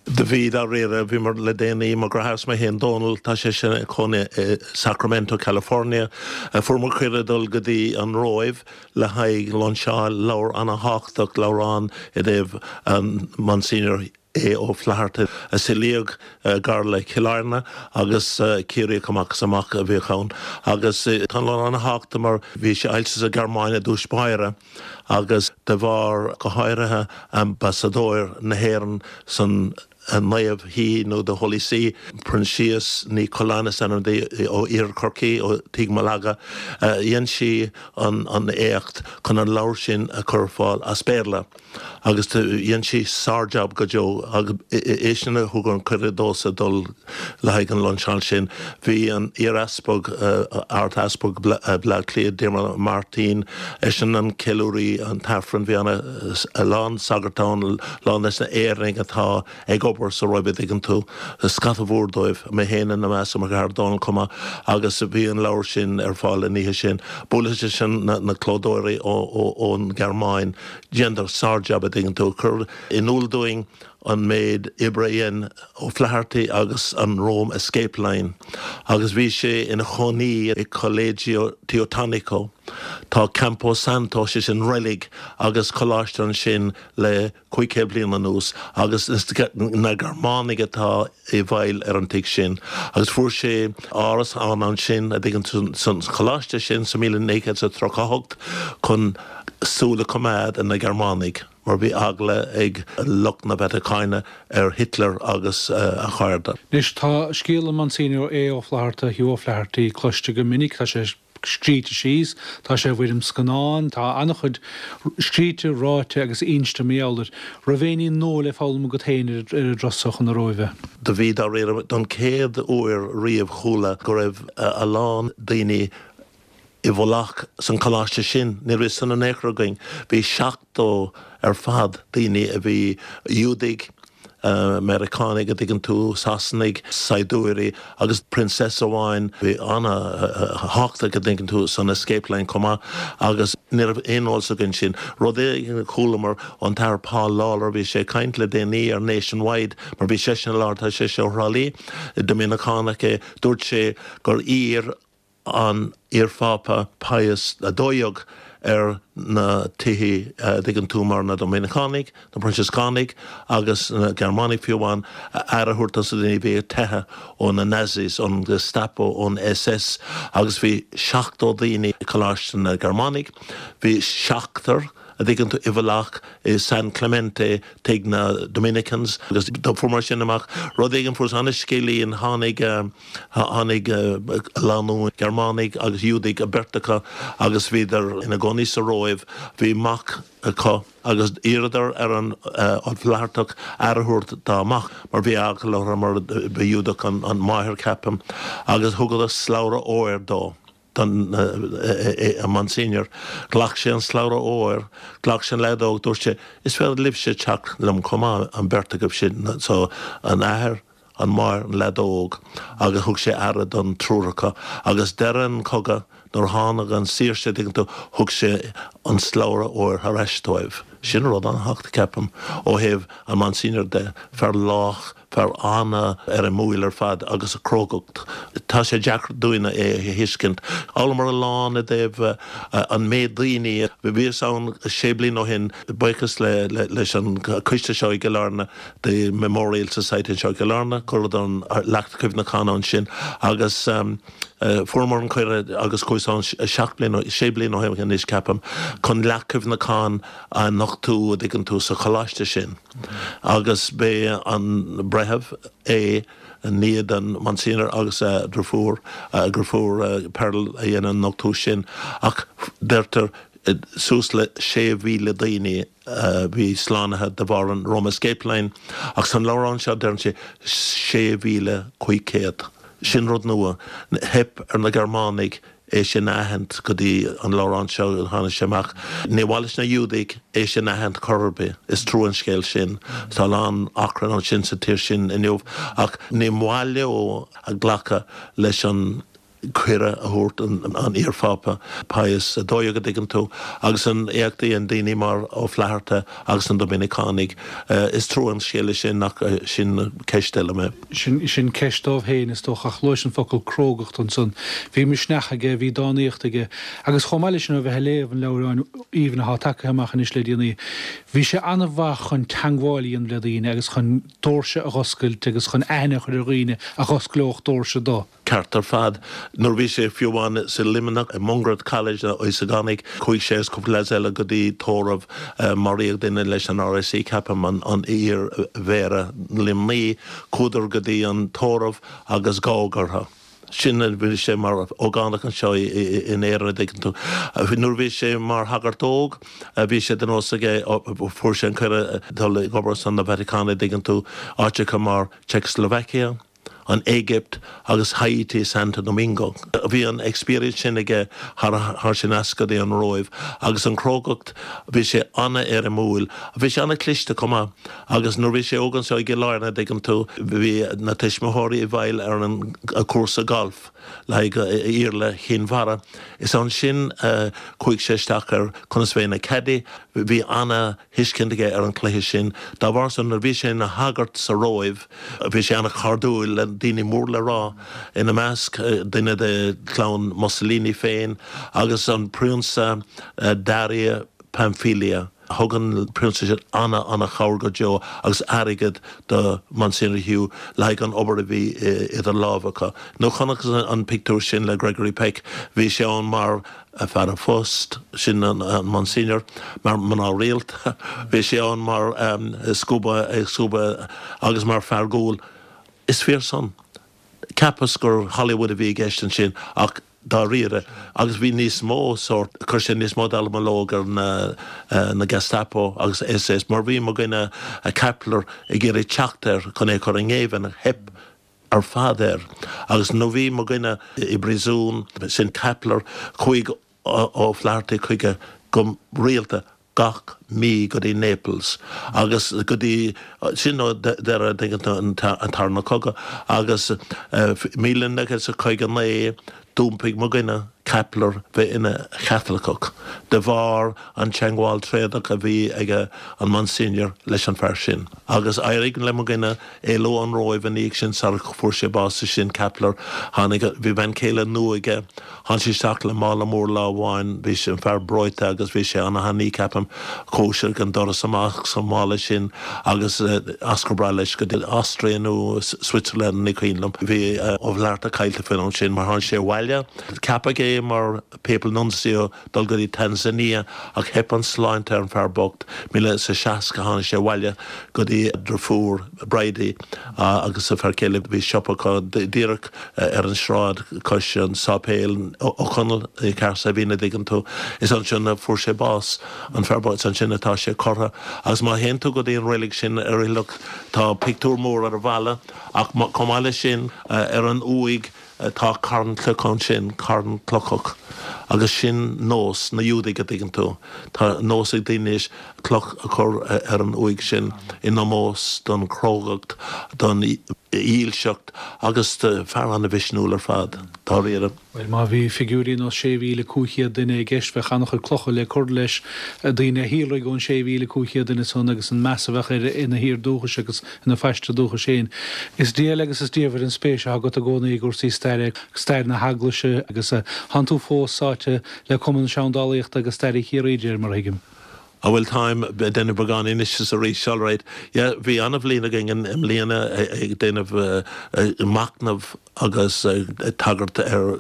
G: Do bhí, dáiríre. Bhíomar le déanaí, mo dheartháir is mé féin, Dónal, tá sé sin ina chónaí i Sacramento, California. Fuaireamar cuireadh dul go dtí an Róimh le haghaidh lainseáil leabhar ana-thábhachtach, leabhrán i dtaobh an Monsignor A. O'Flaherty a saolaíodh gar le Cill Airne agus Ciarraíoch amach is amach a bhíodh ann. Agus tá an leabhar ana-thábhachtach mar bhí sé oilte sa Ghearmáin i dtús báire. agus de bharr, go háirithe, ambasadóir na hÉireann san Naomh Shuí nó The Holy See, Proinsias Ní Choileáin is ainm di, ó Iarthar Chorcaí, ó Tigh Mhalaga, dhein sí an éacht chun an leabhar sin a chur ar fáil as Béarla. Agus dhein sí sár-jab go deo agus é sin a thug an cuireadh domhsa dul le haghaidh an lainseáil sin. Bhí an iar-easpag, Ard-Easpag Bhaile Átha Cliath, Diarmuid Ó Máirtín, eisean an ceiliúraí an t-aifreann, bhí ana, a lán sagart ann, a lán des na Éireannaigh atá ag obair sa Róimh a' dtuigeann tú, scata mhór dóibh, mé féin ina measc, mo dheartháir Dónal chomh maith, agus bhí an leabhar sin ar fáil an oíche sin. Buaileas leis na clódóirí ón Ghearmáin, dheineadar sár-jab a' dtuigeann tú, cur in iúl dúinn an méid oibre a dhein O'Flaherty agus an Rome Escape Line agus bhí sé ina chónaí i Collegio Teutonico. Tá Campo Santo, sé sin reilig agus coláiste ansin le 500 bliain anuas agus is na Gearmánaigh atá i bhfeighil ar an tigh sin agus fuair sé árasán ansin a dtuigeann tú san choláiste sin sa 1938 chun súil a choimeád ar na Gearmánaigh. mar bhí eagla ag lucht na Vatacáine ar Hitler agus a chairde.
A: Anois, tá scéal an Monsignor A. Ó Flatharta, Hugh O'Flaherty, cloiste go minic, tá sé scríte síos, tá sé i bhfoirm scannáin, tá an-chuid scríte, ráite agus inste mar gheall air. Raibh aon ní nua le foghlaim agat féin ar an dturas so chun na Róimhe?
G: Do bhí, dáiríre. Don chéad uair riamh chuala go raibh a lán daoine i bhfolach san choláiste sin. Ní raibh san in aon chor againn. Bhí 70 ar fad daoine a bhí Iúdaigh, Meiriceánaigh, a dtuigeann tú, Sasanaigh, saighdiúirí agus princess amháin a bhí ana-thábhachtach, a dtuigeann tú, san escape line chomh maith agus ní raibh aon eolas againn sin. Rud éigin a chualamar ón tAthair Paul Lawlor, bhí sé ag caint le déanaí ar Nationwide mar bhí seisean i láthair, tá seisean ó Thrá Lí, Doiminiceánach é, dúirt sé gur iarr an iarPhápa Pius 12 ar na tithe, a dtuigeann tú, mar na Doiminiceánaigh, na Proinsiascánaigh agus na Gearmánaigh fiú amháin, aire a thabhairt dos na daoine a bhí ag teitheadh ó na Nazis, ón Gestapo, ón SS agus bhí 70 daoine i Coláiste na Gearmánaigh, bhí seachtar. a dtuigeann tú, i bhfolach i San Clemente tigh na Dominicans agus do fuaireamar sin amach. Rud éigin fuarthas an-scéilín, tháinig, tháinig lánúin Gearmánaigh agus Iúdaigh, an bheirt acu agus bhíodar ina gcónaí sa Róimh, bhí mac acu agus d'iarradar ar an Ó Flaitheartach aire a thabhairt dá mac mar bhí eagla orthu mar ba Ghiúdach an mháthair ceapaim agus thugadar slabhra óir dó. don Monsignor. Ghlac sé an slabhra óir, ghlac sé an leaid óg, dúirt sé, Is féidir libhse teacht liom chomh maith, an bheirt agaibh sin. So, an athair, an mháthair, an leaid óg, agus thug sé aire don triúr acu. Agus deireadh an chogadh, nuair a tháinig an saoirse, tuigeann tú, thug sé an slabhra óir thar ais dóibh. Sin rud an-thábhachtach, ceapaim, ó thaobh an Monsignor de, fear lách, Fear an-éirimiúil ar fad agus a crógacht. Tá sé deacair dúinne é a thuiscint. D'fhoghlaimeamar a lán i dtaobh an méid daoine. Bhíos ann sé bliana ó shin, buíochas leis an coiste seo i gCill Airne, The Memorial Society anseo i gCill Airne, chuireadar an leacht cuimhneacháin ansin agus fuaireamar an cuireadh agus chuas ann seacht bliana, sé bliana ó shin anois ceapaim, chun leacht cuimhneacháin a nochtú, a dtuigeann tú, sa choláiste sin. Agus b'é an breitheamh é nia don Monsignor agus a dhriofúr, a dhriofúr Pearl a dhein an nochtú sin. Ach deirtear suas le 6,000 daoine a bhí slánaithe de bharr an Roma Escape Line. Ach san leabhrán seo deireann sé 6,500. Sin rud nua. Theip ar na Gearmánaigh é sin a aithint go dtí an leabhrán seo a tháinig sé amach. Ní mhaith leis na Iúdaigh é sin a aithint chor ar bith. Is trua an scéal sin. Tá a lán achrann ansin sa tír sin inniu. Ach ní maith leo a glacadh leis an cuireadh a thabhairt an iar-Phápa Pius 12, a dtuigeann tú, agus an éacht a dhein daoine mar Ó Flatharta agus na Doiminiceánaigh. Is trua an scéal é sin ach sin ceist eile mé.
A: Sin, sin ceist dóibh féin, is dócha, ach luais an focal crógacht ansan. Bhí misneach aige, bhí dánaíocht aige, agus chomh maith leis sin, ó bheith ag léamh an leabhráin aoibhinn athá tagaithe amach anois le déanaí, bhí sé an-mhaith chun teangmháil a dhéanamh le daoine agus chun dóirse a dh'oscailt agus chun aithne a chur ar dhaoine a dh'osclódh dóirse dó.
G: Ceart ar fad. Nuair a bhí sé fiú amháin sa Luimneach, i Mungret College na Íosagánaigh, chuaigh sé agus cúpla leaids eile go dtí tórramh, maraíodh duine leis an RIC ceapaim, an iar-mhéara Luimnigh, chuadar go dtí an tórramh agus gabhadh orthu. Sin a bhí sé mar ógánach anseo in Éirinn, a dtuigeann tú. Nuair a bhí sé mar shagart óg, bhí sé de nós aige, fuair sé an cuireadh dul ag obair ar son na Vatacáin, a dtuigeann tú, áiteacha mar Czechoslovakia, an Éigipt agus Haiti Santo Domingo. Bhí an experience sin aige thar sin as go dtí an Róimh agus an chrógacht, bhí sé an-éirimiúil. Bhí sé an-chliste chomh maith agus nuair bhí sé óg anseo i gCill Airne, a dtuigeann tú, bhí na tuismitheoirí i bhfeighil ar an cúrsa golf le haghaidh Iarla Chinn Mhara. Is ansin a chuaigh sé isteach ar conas bheith ina caddy. Bhí ana. thuiscint aige ar an chluiche sin. Dá bharr san, nuair a bhí sé ina shagart sa Róimh, bhí sé an-chairdiúil le daoine mór le rá, ina measc duine de chlann Mussolini féin agus an Prionsa Dario Pamphili. Thug an prionsa sin ana-ana-chabhair go deo agus airgead do Monsignor Hugh le haghaidh an obair a bhí idir lámha acu. Nuair chonacthas an pictiúr sin le Gregory Peck, bhí sé ann mar fear an phoist, sin an Monsignor, mar mná rialta. Bhí sé ann mar scuaba, ag scuabadh agus mar fear guail. Is fíor san. Cheapas gur Hollywood a bhí i gceist ansin ach dáiríre. Agus bhí níos mó sórt, chuir sé níos mó dallamullóg ar na Gestapo agus SS mar bhí mo dhuine Kappler ag iarraidh teacht air chun é a chur i ngéibheann. Theip ar fad air. Agus nuair bhí mo dhuine i bpríosún, sin Kappler, chuaigh Ó Flatharta chuige go rialta gach mí go dtí Naples agus go dtí sin ó deireadh an tarna cogadh agus 1959 d'iompaigh mo dhuine Kappler bheith ina Chaitliceach de bharr an teangmháil tréadach a bhí ag an Monsignor leis an fear sin. Agus éirigh le mo dhuine éalú ón Róimh ina dhiaidh sin sar fuair sé bás is sin Kappler. Tháinig, bhí bean chéile nua aige. Tháinig sé isteach le mála mór lá amháin, bhí sé, an fear breoite agus bhí sé ana-thanaí ceapaim. Chuaigh sé ag an doras amach sa mála sin agus as go brách leis go dtí Austria nó Switzerland ní cuimhin liom. Bhí Ó Flatharta caillte faoin am sin mar tháinig sé abhaile. Ceapadh é. é mar Papal Nuncio dul go dtí Tanzania ach theip an sláinte ar an fear bocht. 1060 tháinig sé abhaile go dtí a dhriofúr Bridie agus a fear céile. Bhí siopa acu díreach ar an sráid cois an sáipéil Ó Conaill i Cahersiveen a dtuigeann tú. Is ansin a fuair sé bás, an fear bocht. Is ansin atá sé curtha. Agus má théann tú go dtí an reilig sin ar oilithreacht tá pictiúr mór ar an bhalla ach chomh maith leis sin ar an uaigh Tá carn cloch ansin, carn clochach, agus sin nós na Iúdaigh, a dtuigeann tú. Tá nós ag daoine anois cloch a chur ar an uaigh sin in ómós don chrógacht, don dhílseacht agus do fear an-mhisniúil ar fad, dáiríre.
A: Bhuel, má bhí figiúirí ar nós 6,500 duine i gceist, bheadh an-chuid clocha le cur leis, daoine a shíolraigh ón 6,500 duine san agus an meas a bheadh air ina thír dúchais agus ina phaiste dúchais féin. Is diail agus is diamhair an spéis atá agat i gcónaí i gcúrsaí staire, stair na hEaglaise agus tánn tú fós sáite le Cumann Seandálaíochta agus Staire Chiarraí, de réir mar a thuigim.
G: Á bhuel táim ag déanamh beagán anois is arís, alright. Yeah, bhí an-bhliain againn i mbliana ag déanamh machnamh agus ag tagairt ar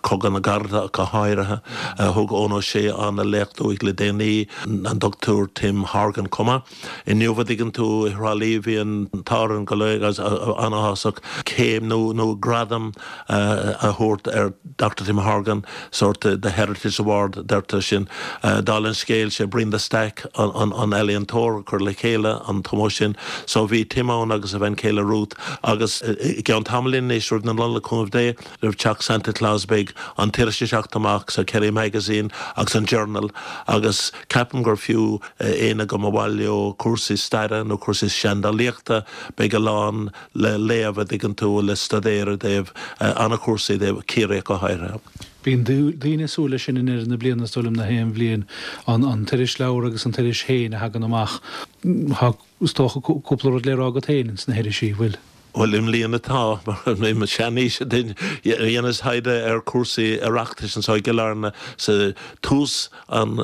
G: Chogadh na gCarad ach go háirithe. Thug Eoin Ó Sé an-léacht uaidh le déanaí, an Dr Tim Horgan chomh maith. Inniu, a dtuigeann tú, i Thrá Lí bhí an t-ádh orainn go léir agus an-áthasach céim nó nó gradam a thabhairt ar Dr Tim Horgan, sórt the Heritage Award deirtear sin. Dála an scéil, sé Brian de Staic an ealaíontóir a chuir le chéile an t-ómós sin. So bhí Tim ann agus a bhean chéile Ruth agus i gceann tamaillín anois roimh na Nollag, cúnamh Dé, roimh teacht Santa Claus beidh an t-iris ag teacht amach sa Kerry Magazine agus an Journal agus ceapaim gur fiú éinne go mba mhaith leo cúrsaí staire nó cúrsaí seandálaíochta, beidh a lán le léamh, a dtuigeann tú, le staidéar i dtaobh an-chúrsaí i dtaobh Ciarraí ach go háirithe.
A: Bíonn daoine ag súil leis sin i ndeireadh na bliana, is dóigh liom, na haon bhliain. An t-irisleabhar agus an t-iris féin a thagann amach. Tá, is dócha, cúpla rud le rá agat féin ins na hirisí, bhfuil?
G: Bhuel, i mbliana tá, mar i mo sheanaois, dheineas taighde ar chúrsaí Oireachtais anseo i gCill Airne sa tús an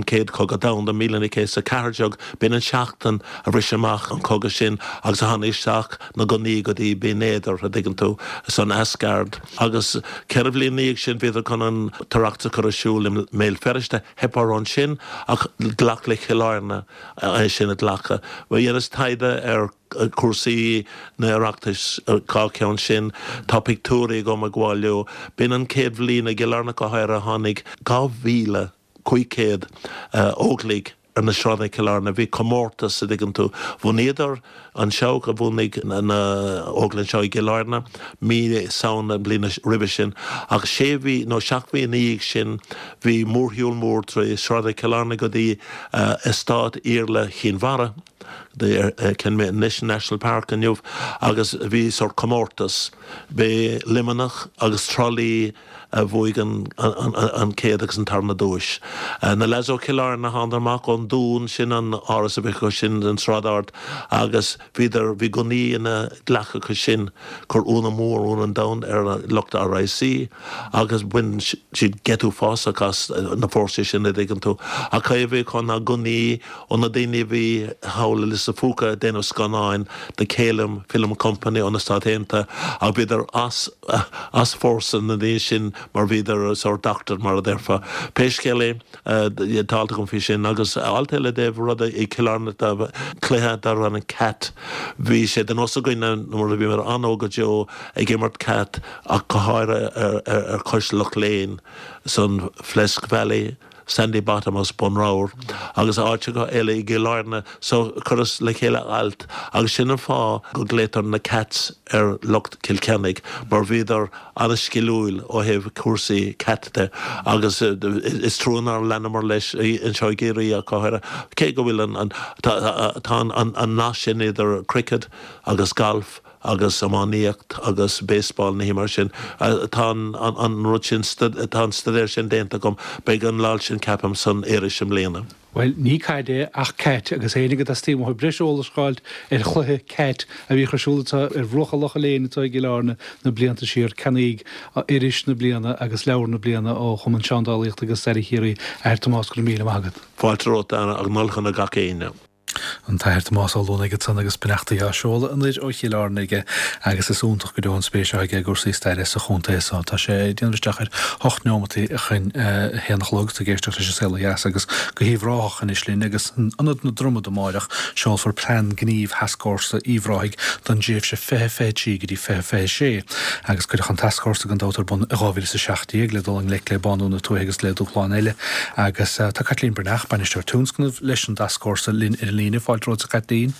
G: Chéad Chogadh Domhanda, 1914, b'in an seachtain a bhris amach an cogadh sin agus a tháinig isteach na gunnaí go dtí Binn Éadair, a dtuigeann tú, san Asgard. Agus ceithre bhliain ina dhiaidh sin bhíodar chun an tOireachtas a chur ar siúl i mBéal Feirste, theip orthu ansin ach ghlac le Cill Airne é sin a ghlacadh. Dheineas taighde ar. cúrsaí na Oireachtais, dhá cheann sin. Tá pictiúirí agam ag gabháil leo. B'in an chéad bhliain i gCill Airne go háirithe a tháinig 2,500 Óglaigh ar na sráideanna Cill Airne. Bhí comórtas, a dtuigeann tú. Bhunaíodar an Seabhac a bhunaigh na Óglaigh anseo i gCill Airne mí Samhna an bhliain roimhe sin. Ach sé mhí nó seacht mhí ina dhiaidh sin bhí mórshiúl mór trí sráideanna Chill Airne go dtí eastát Iarla Chinn Mhara. The Kenmare National Park inniu agus bhí sórt comórtas. B'é Luimneach agus Trá Lí a bhuaigh an chéad agus an tarna duais. Na leaids ó Chill Airne thánadar amach ón Dún, sin an áras a bhí acu sin an Sráid Ard agus bhíodar, bhí gunnaí ina nglac acu sin. Chuir ionadh mór, ionadh an domhain ar lucht RIC agus bhain siad geit uafásach as na fórsaí sin a dtuigeann tú. Ach cad é a bhí acu ná gunnaí ó na daoine a bhí thall i Lios a' Phúca ag déanamh scannáin do Kalem Film Company ó na Stáit Aontaithe ach bhíodar as as fórsa na ndaoine sin mar bhíodar sórt doctored mar a déarfá. Pé scéal é tá alt agam faoi sin agus alt eile i dtaobh ruda i Cill Airne cluiche darbh ainm Cat. Bhí sé de nós againn nuair a bhíomar an-óg go deo ag imirt Cat ach go háirithe ar chois Loch Léin san Flesk Valley, Sandy Bottom agus Bun Ramhar agus áiteacha eile i gCill Airne so chuireas le chéile alt agus sin an fáth go nglaotar na Cats ar lucht Chill Chainnigh mar bhíodar an-sciliúil ó thaobh cúrsaí cat de agus is trua nár leanamar leis anseo i gCiarraí ach go háirithe cé go bhfuil an tá an nasc sin idir cricket agus golf agus iománaíocht agus baseball nithe mar sin. Tá an rud sin, tá an staidéar sin déanta agam. Beidh an alt sin, ceapaim, san iris i mbliana.
A: Bhuel, ní caid é ach cat, agus éinne go dteastaíonn uathu breis eolais a dh'fháilt ar chluiche cat a bhíodh ar siúl anseo ar bhruacha Locha Léin anseo i gCill Airne na blianta siar, ceannaíg iris na bliana agus leabhar na bliana ó Chumann Seandálaíochta agus Staire Chiarraí. A Athair Tomás, go raibh míle maith agat.
G: Fáilte romhat, a Dhara, agus Nollaig shona gach éinne.
A: An tAthair Tomás Ó Luanaigh ansan agus beannachtaí á seoladh anoir ó Chill Airne aige agus is iontach go deo an spéis atá aige i gcúrsaí staire sa chontae so. Tá sé ag déanamh isteach ar hocht neomataí chun a haon a chlog, tú ag éisteacht leis an Saol Ó Dheas agus go hUíbh Ráthach anois linn agus in Ionad na Dromad amáireach seolfar Plean Gnímh Thascfhórsa Uíbh Ráthaigh don dtréimhse 2023 go dtí 2026 agus cuireadh an tascfhórsa gan dabht ar bun i 2017 le dul i ngleic le bánú na tuaithe agus le dúshláin eile agus tá Caitlín Breathnach, Bainisteoir Tionscnaimh leis an dTascfhórsa linn ar an líne. Fáilte romhat a Chaitlín.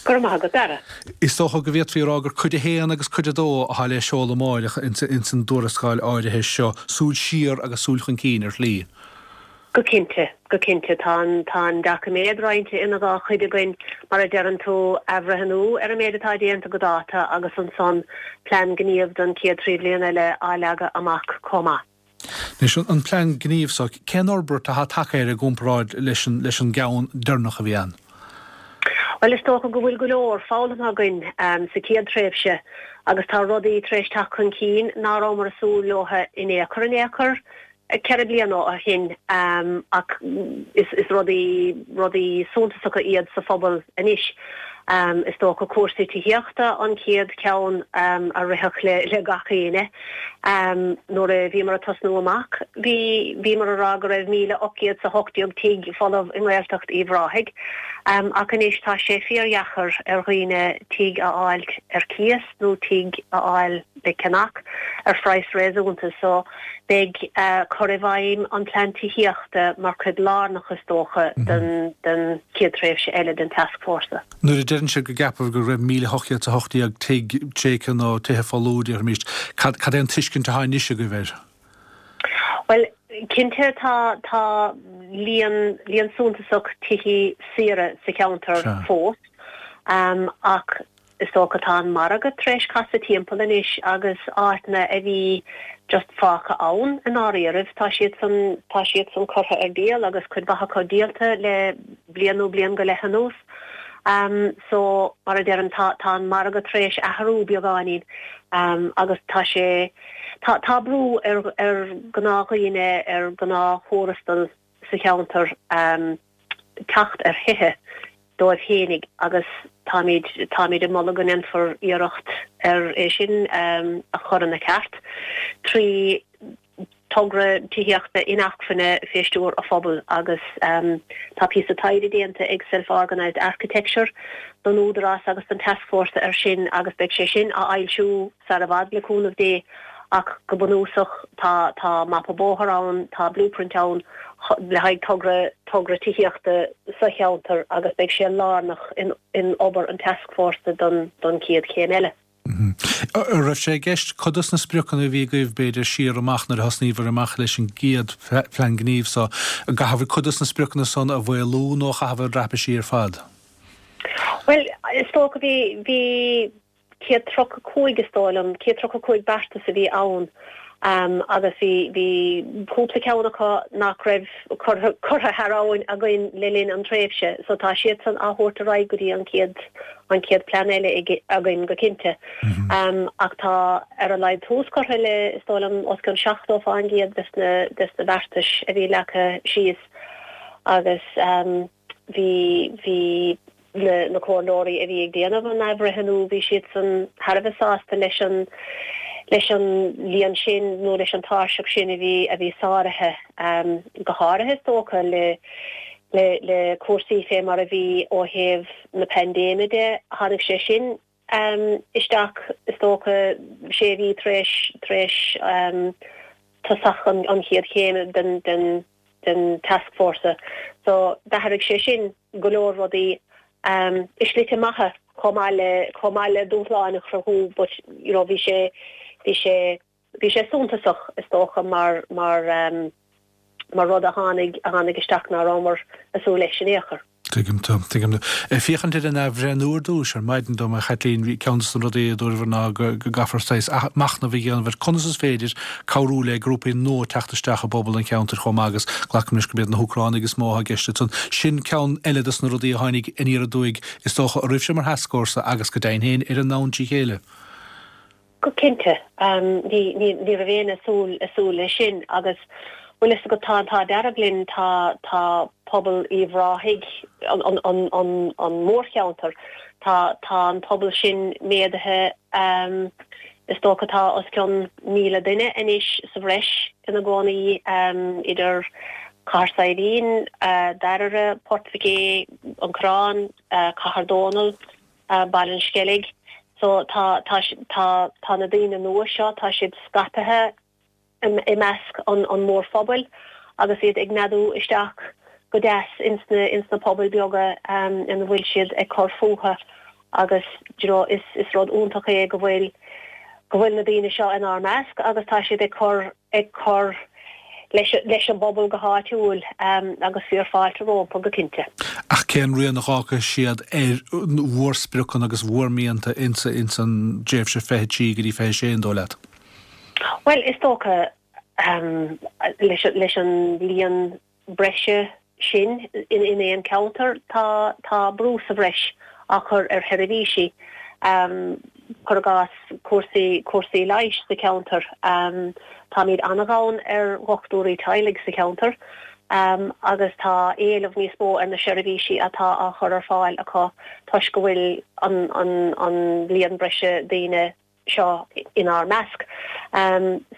H: Go raibh maith agat, Dara.
A: Is dócha go bhféadfaí a rá gur cuid a haon agus cuid a dó atá le seoladh amáireach ins an dtuarascáil áirithe seo, súil siar agus súil chun cinn ar shlí.
H: Go cinnte, go cinnte. Tá an, tá an doiciméad roinnte ina dhá chuid againn, mar a deireann tú, athbhreithniú ar an méid atá déanta go dáta agus ansan plean gníomh don chéad trí bhliain eile á leagadh amach chomh maith.
A: Anois, an plean gnímh so, cén fhorbairt atá tagtha air i gcomparáid leis an, leis an gceann deireanach a bhí ann?
H: Bhuel, is dócha go bhfuil go leor foghlamtha againn sa chéad tréimhse agus tá rudaí tar éis teacht chun cinn ná rabhamar ag súil leo in aon chor in aon chor. 4 bliana ó shin ach is rudaí rudaí suntasacha iad sa phobal anois. Is dócha cúrsaí tithíochta an chéad cheann a rithfeadh le gach éinne. Nuair a bhíomar ag tosnú amach bhí bhíomar ag rá go raibh 1,818 tigh folamh i nGaeltacht Uíbh Ráthaigh ach anois tá sé fíordheacair ar dhaoine tigh a fháilt ar cíos nó tigh a fháil le ceannach ar phraghas réasúnta so beidh cur i bhfeidhm an plean tithíochta mar chuid lárnach is dócha den den chéad tréimhse eile den tascfhórsa.
A: Nuair a deireann sibh go gceapaibh go raibh 1,818 tigh tréigthe nó tithe folamh, déarfaimíst, cad cad é an tuiscint atá anois agaibh air?
H: Bhuel, cinnte tá tá líon líon suntasach tithí saora sa cheantar fós ach Is dócha tá an margadh tar éis casadh timpeall anois agus áiteanna a bhí just fágtha ann i ndáiríribh, tá siadsan, tá siadsan curtha ar díol agus cuid mhaith acu díolta le bliain nó bliain go leith anuas. So, mar a deirim, tá, tá an margadh tar éis athrú beagáinín agus tá sé, tá, tá brú ar, ar ghnáthdhaoine, ar ghnáth-thuarastal sa cheantar teacht ar thithe dóibh fhéinig agus táimid, táimid ag moladh go ndéanfar iarracht ar é sin a chur ina cheart trí togra tithíochta inacmhainne fé stiúir an phobail agus tá píosa taighde déanta ag Self Organised Architecture don Údarás agus don Tascfhórsa ar sin agus beidh sé sin á fhoilsiú sar i bhfad le cúnamh Dé ach go bunúsach tá tá mapa bóthair ann, tá blueprint ann le haghaidh togra togra tithíochta sa cheantar agus beidh sé lárnach in in obair an tascfhórsa don don chéad chéim eile.
A: An raibh sé i gceist cuid dos na spriocanna a bhí agaibh b'fhéidir siar amach nuair a thosnaíobhair amach leis an gcéad phlean gnímh so, an gcaithfear cuid dos na spriocanna san a mhaolú nó a chaitheamh a dhreapadh siar ar fad?
H: Bhuel, is dócha bhí bhí 135 is dóigh liom, 135 beartas a bhí ann agus bhí, bhí cúpla ceann acu nach raibh curtha, curtha thar abhainn againn le linn an tréimhse so tá siadsan á thabhairt ar aghaidh go dtí an chéad, an chéad plean eile againn go cinnte. Ach tá ar a laghad tús curtha le, is dóigh liom, os cionn 70 fán gcéad des na, des na beartais a bhí leagtha síos agus bhí, bhí na, na comhairleoirí a bhí ag déanamh an athbhreithniú, bhí siadsan thar a bheith sásta leis an, leis an líon sin nó leis an tairseach sin a bhí, a bhí sáraithe, go háirithe is dócha le, le, le cúrsaí fé mar a bhí ó thaobh na paindéime de, tháinig sé sin isteach is dócha sé mhí tar éis, tar éis tosach an, an chéad chéim den, den, den tascfhórsa. So d'athraigh sé sin go leor rudaí i slite maithe chomh maith le chomh maith le dúshláin a chruthú but you know bhí sé bhí sé bhí sé suntasach is dócha mar mar mar rud a tháinig a tháinig isteach ná rabhamar ag súil leis in aon chor.
A: Tuigim tú, tuigim tú. Ag féachaint ar an athbhreithniú ar dtús, ar maidin dom, a Chaitlín, bhí ceann de na rudaí a dúradh ná go gcaithfear saghas machnamh a dhéanamh ar conas is féidir cabhrú le grúpaí nua teacht isteach i bpobal an cheantair chomh maith agus glacaim leis gurb iad na hÚcránaigh is mó atá i gceist ansan. Sin ceann eile de na rudaí a tháinig aniar aduaidh is dócha oraibhse mar thascfhórsa agus go deimhin féin ar an domhan trí chéile.
H: Go cinnte. Ní raibh éinne ag súil, ag súil leis sin agus. Bhuel, is agat, tá an t-ádh dearg linn, tá, tá pobal Uíbh Ráthaigh, an, an, an, an, an mórcheantar, tá, tá an pobal sin méadaithe, is dócha tá os cionn 1,000 duine anois sa bhreis ina gcónaí idir Cathair Saidhbhín, Dairbhre, Port Mhic Aodha, An Corrán, Cathair Dónall, Baile an Sceilg. So tá, tá, tá, tá na daoine nua seo, tá siad scaipthe i measc an mhórphobail agus iad ag neadú isteach go deas ins na ins na pobail beaga ina bhfuil siad ag cur fúthu agus d'you know is is rud iontach é go bhfuil go bhfuil na daoine seo inár measc agus tá siad ag cur ag cur leis leis an bpobal go háitiúil agus fíor fáilte rompu go cinnte.
A: Ach cén rian a dh'fhágfaidh siad ar bhur spriocanna agus bhur mianta ins ins an dtréimhse 23 go dtí 26 an dóigh leat?
H: Bhuel, is dócha, leis an líon breise sin in aon cheantar, tá tá brú sa bhreis á chur ar sheirbhísí, cuir i gcás cúrsaí cúrsaí leighis sa cheantar. Táimid an-ghann ar dhochtúirí teaghlaigh sa cheantar agus tá éileamh níos mó ar na seirbhísí atá á chur ar fáil acu toisc go bhfuil an an an líon breise daoine seo inár measc.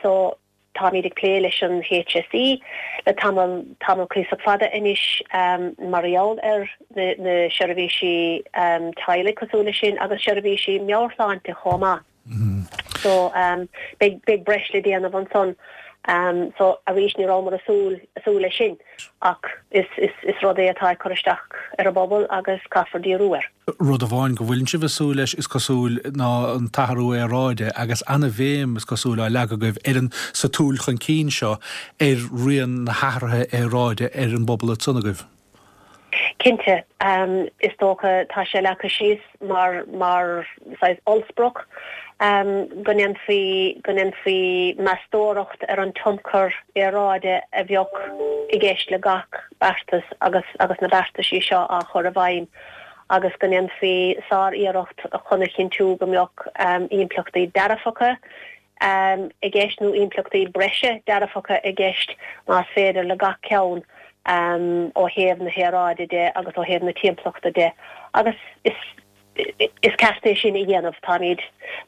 H: So, táimid ag plé leis an HSE le tamall, tamall cuíosach fada anois mar gheall ar na, na seirbhísí teaghlaigh cosúil leis sin agus seirbhísí meabhairshláinte chomh maith. So, beidh, beidh breis le déanamh ansan. So, arís ní rabhamar ag súil, ag súil leis sin ach is, is, is rud é atá ag cur isteach ar an bpobal agus caithfear díriú air.
A: Rud amháin go bhfuileann sibh ag súil leis, is cosúil, ná an t-athrú aeráide agus an-bhéim, is cosúil, á leagadh agaibh ar an, sa tsúil chun cinn seo ar rian na hathraithe aeráide ar an bpobal ansan agaibh.
H: Cinnte. Is dócha, tá sé leagtha síos mar, mar saghas ollsprioc go ndéanfaí, go ndéanfaí meastóireacht ar an tionchar aeráide a bheadh i gceist le gach beartas agus, agus na beartaisí seo á chur i bhfeidhm. agus go ndéanfaí sár-iarracht chun a chinntiú go mbeadh impleachtaí dearfacha i gceist nó impleachtaí breise dearfacha i gceist más féidir le gach ceann ó thaobh na haeráide de agus ó thaobh na timpeallachta de agus is is ceart é sin a dhéanamh. Táimid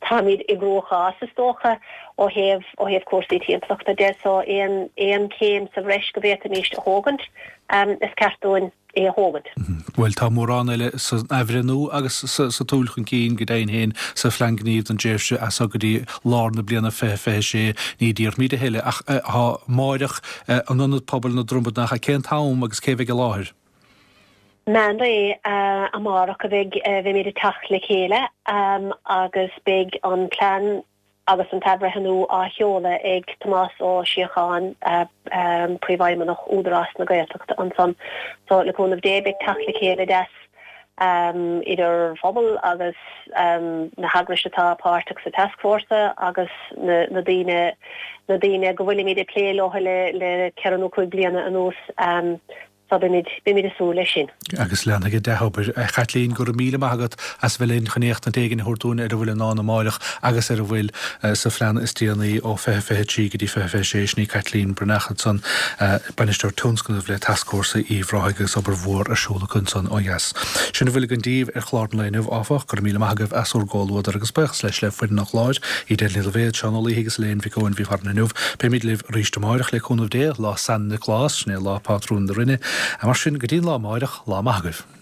H: táimid i gcruachás is dócha ó thaobh ó thaobh cúrsaí timpeallachta de so aon aon chéim sa bhreis go bhféadfaimíst a thógaint is ceart dúinn é a thógaint.
A: Bhuel, tá mórán eile san athbhreithniú agus sa tsúil chun cinn, go deimhin féin, sa Phlean Gnímh don dtréimhse as seo go dtí lár na bliana 2026. Ní déarfaimid a thuilleadh, ach tá amáireach in Ionad Pobail na Dromad, nach ea? Cén t-am agus cé bheidh i láthair?
H: Meán lae amárach a bheidh, bheimid ag teacht le chéile agus beidh an plean Agus an t-athbhreithniú á sheoladh ag Tomás Ó Síocháin, Príomhfheidhmeannach Údarás na Gaeltachta ansan. So, le cúnamh Dé, beidh teacht le chéile deas idir phobal agus na heagrais atá páirteach sa tascfhórsa agus na daoine na daoine go bhfuilimid ag plé leo le le ceithre nó cúig bliana anuas. So beimid, beimid ag súil leis sin.
A: Agus leanfaidh an dea-obair. A Chaitlín, go raibh míle maith agat as bheith linn chun éachtaint éigin a thabhairt dúinn ar a bhfuil i ndán amáireach agus ar a bhfuil sa phlean is déanaí ó 2023 go dtí 2026. Sin í Caitlín Breathnach ansan, Bainisteoir Tionscnaimh le Tascfhórsa Uíbh Ráthaigh agus obair mhór ar siúl acu ansan ó dheas. Sin a bhfuil againn daoibh ar chlár an lae inniu, áfach. Go raibh míle maith agaibh as bhur gcomhluadar agus buíochas leis le foireann an chláir, Edel Ní Loibhéad, Seán Ó Laoithe agus Elaine Mhic Eoin a bhí farainn inniu. Beimid libh arís amáireach le cúnamh Dé, lá San Nioclás, sin é lá pátrúin na Rinne. Mar sin, go dtí an lá amáireach, lá maith agaibh.